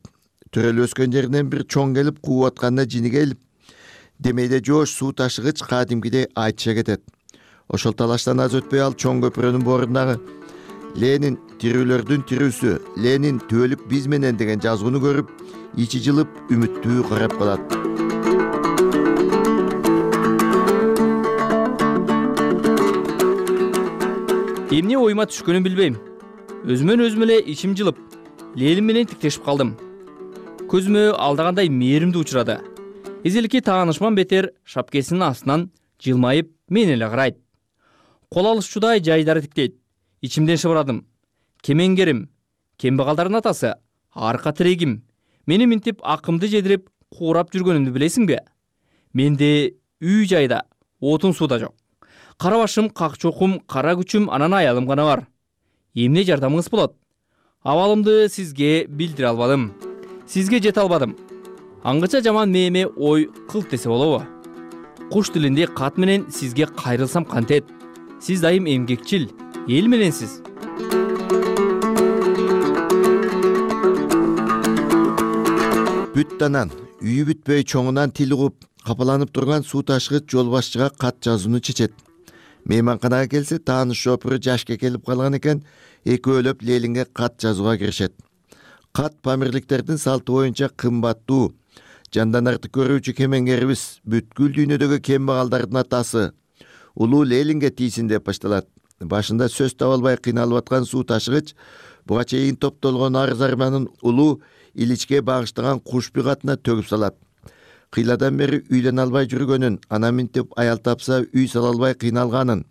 Төрөлүп өскөн жеринен бир чоң келип кууп атканда жини келип, демейде жоош суу ташыгыч кадимкидей айтыша кетет. Ошол талаштан аз өтпөй ал чоң көпүрөнүн борундагы Ленин тирүүлөрдүн тирүүсү, Ленин түбөлүк биз менен деген жазууну көрүп, ичи жылып үмүттүү карап калат. Эмне оюма түшкөнүн билбейм. Өзүмөн өзүм эле ичим жылып, Ленин менен тиктешип калдым. Көзүмө алдагандай мээримди учурады. Эзеликке таанышман бетер шапкесинин астынан жылмайып мен эле карайт. Кол алышчудай жайдары тиктейт. Ичимден шыбырадым. Кемеңгерим, кембагалдардын атасы, арка тирегим. Мени минтип акымды жедирип, куурап жүргөнүмдү билесиңби? Менде үй жайда, отун сууда жок. Кара башым, как чокум, кара күчүм, анан аялым гана бар. Эмне жардамыңыз болот? Абалымды сизге билдире албадым. Сизге жете албадым. Аңгыча жаман мээме ой кылт десе болобу? Куш тилинде кат менен сизге кайрылсам кантет? Сиз дайым эмгекчил, эл мененсиз. Бүттанан, үйү бүтпөй чоңунан тил угуп, капаланып турган суу ташыгыч жол башчыга кат жазууну чечет. Мейманканага келсе, тааныш шопуру жашка келип калган экен, экөөлөп Ленинге кат жазууга киришет. Кат памирликтердин салты боюнча кымбаттуу, жанданарды көрүүчү кемеңгерибиз, бүткүл дүйнөдөгү кембагалдардын атасы, улуу Ленинге тийсин деп башталат. Башында сөз таба албай кыйналып аткан суу ташыгыч буга чейин топтолгон арыз арманын улуу Иличке багыштаган кушпи катына төгүп салат. Кыйладан бери үйдөн албай жүргөнүн, ана минтип аял тапса үй сала албай кыйналганын,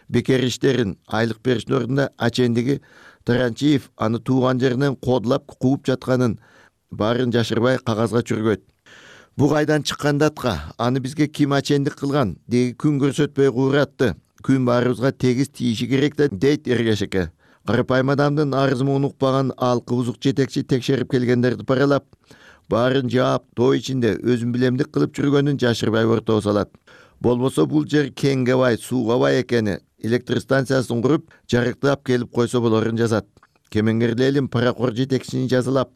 бекер иштерин, айлык бериштин ордуна ачендиги Таранчиев аны тууган жеринен кодулап кууп жатканын баарын жашырбай кагазга чүргөйт. Бу кайдан чыккан датка, аны бизге ким ачендик кылган, деги күн көрсөтпөй кууратты. Күн баарыбызга тегиз тийиши керек да, дейт Эргешеке. Карапайым адамдын арызын укпаган алкы бузук жетекчи текшерип келгендерди паралап, баарын жаап, той ичинде өзүн билемдик кылып жүргөнүн жашырбай ортого салат. Болбосо бул жер кеңге бай, сууга бай экени, электростанциясын куруп, жарыктап келип койсо болорун жазат. Кемеңгер Ленин паракор жетекчини жазалап,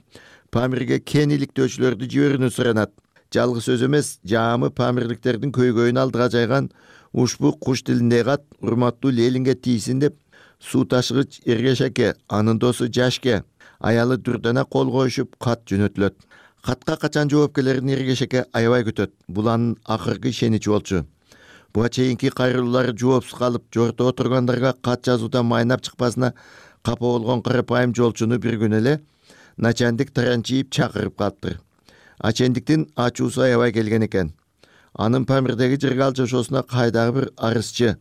Памирге кен иликтөөчүлөрдү жиберүүнү суранат. Жалгыз сөз эмес, жаамы памирликтердин көйгөйүн алдыга жайган ушбу куш тилинде кат урматтуу Ленинге тийсин деп, суу ташыгыч Эргешеке, анын досу Жашке, аялы Дүрдана кол коюшуп кат жөнөтүлөт. Катка качан жооп келерин Эргешеке аябай күтөт. Бул анын акыркы ишеничи болчу. Буга чейинки кайрылуулары жоопсуз калып, жорто отургандарга кат жазуудан майнап чыкпасына капа болгон карапайым жолчуну бир күн эле начальник Таранчиев чакырып калыптыр. Ачендиктин ачуусу аябай келген экен. Анын Памирдеги Жыргал жашоосуна кайдагы бир арызчы,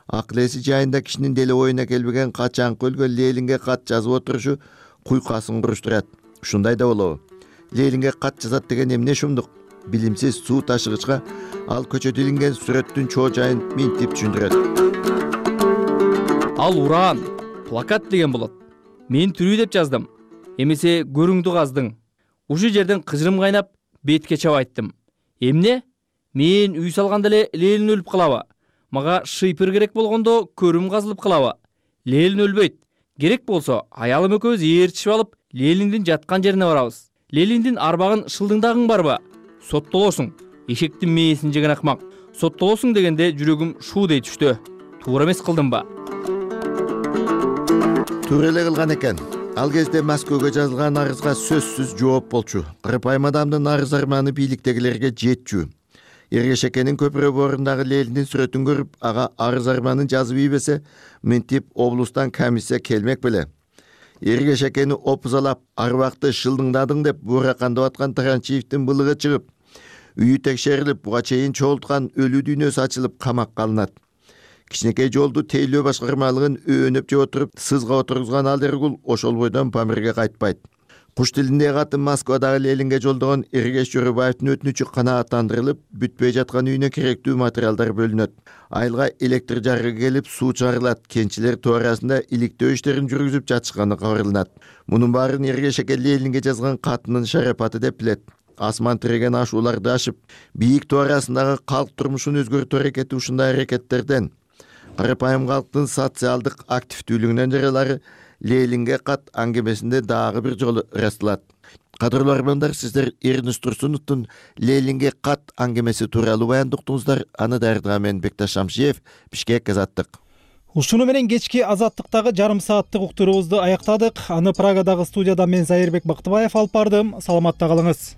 акыл-эси жайында кишинин деле оюна келбеген качанкы өлгөн Ленинге кат жазып отурушу куйкасын куруштурат. Ушундай да болобу? Ленинге кат жазат деген эмне шумдук? Билимсиз суу ташыгычка ал көчөдө илинген сүрөттүн чоо жайын минтип түшүндүрөт. Ал уран, плакат деген болот. Мен тирүү деп жаздым. Эмесе көрүңдү каздың. Ушу жерден кыжырым кайнап, бетке чабайттым. Эмне? Мен үй салганда эле Ленин өлүп калабы? Мага шыйпыр керек болгондо көрүм казылып калабы? Ленин өлбөйт. Керек болсо, аялым экөөбүз ээрчишип алып, Лениндин жаткан жерине барабыз. Лениндин арбагын шылдыңдагың барбы? Соттолосуң. Эшектин мээсин жеген акмак. Соттолосуң дегенде жүрөгүм шуудей түштү. Туура эмес кылдымбы? Туура эле кылган экен. Ал кезде Москвага жазылган арызга сөзсүз жооп болчу. Карапайым адамдын арыз арманы бийликтегилерге жетчү. Эргешекенин көпүрө борундагы Лениндин сүрөтүн көрүп, ага арыз арманын жазып ийбесе, минтип облустан комиссия келмек беле. Эргешекени опузалап, арбакты шылдыңдадың деп бууракандап аткан Таранчиевдин былыгы чыгып, үйү текшерилип, буга чейин чогулткан өлүү дүйнөсү ачылып камакка алынат. Кичинекей жолду тейлөө башкармалыгын өөнөп жеп отуруп, сызга отургузган ал Эргул ошол бойдон Памирге кайтпайт. Куш тилинде катын Москвадагы Ленинге жолдогон Эргеш Жөрөбаевдин өтүнүчү канааттандырылып, бүтпөй жаткан үйүнө керектүү материалдар бөлүнөт. Айылга электр жарыгы келип, суу чыгарылат. Кенчилер тоо арасында иликтөө иштерин жүргүзүп жатышканы кабарланат. Мунун баарын Эргешеке Ленинге жазган катынын шарапаты деп билет. Асман тиреген ашууларды ашып, бийик тоо арасындагы калк турмушун өзгөртүү аракети ушундай аракеттерден. Карапайым калктын социалдык активдүүлүгүнөн жаралары Ленинге кат аңгемесинде дагы бир жолу ырасталат. Кадырлуу армандар, сиздер Эрнис Турсуновдун Ленинге кат аңгемеси тууралуу баяндыктыңыздар. Аны даярдаган мен Бекташ Шамшиев, Бишкек Азаттык. Ушуну менен кечки Азаттыктагы жарым сааттык уктуруубузду аяктадык. Аны Прагадагы студияда мен Зайырбек Бактыбаев алып бардым. Саламатта калыңыз.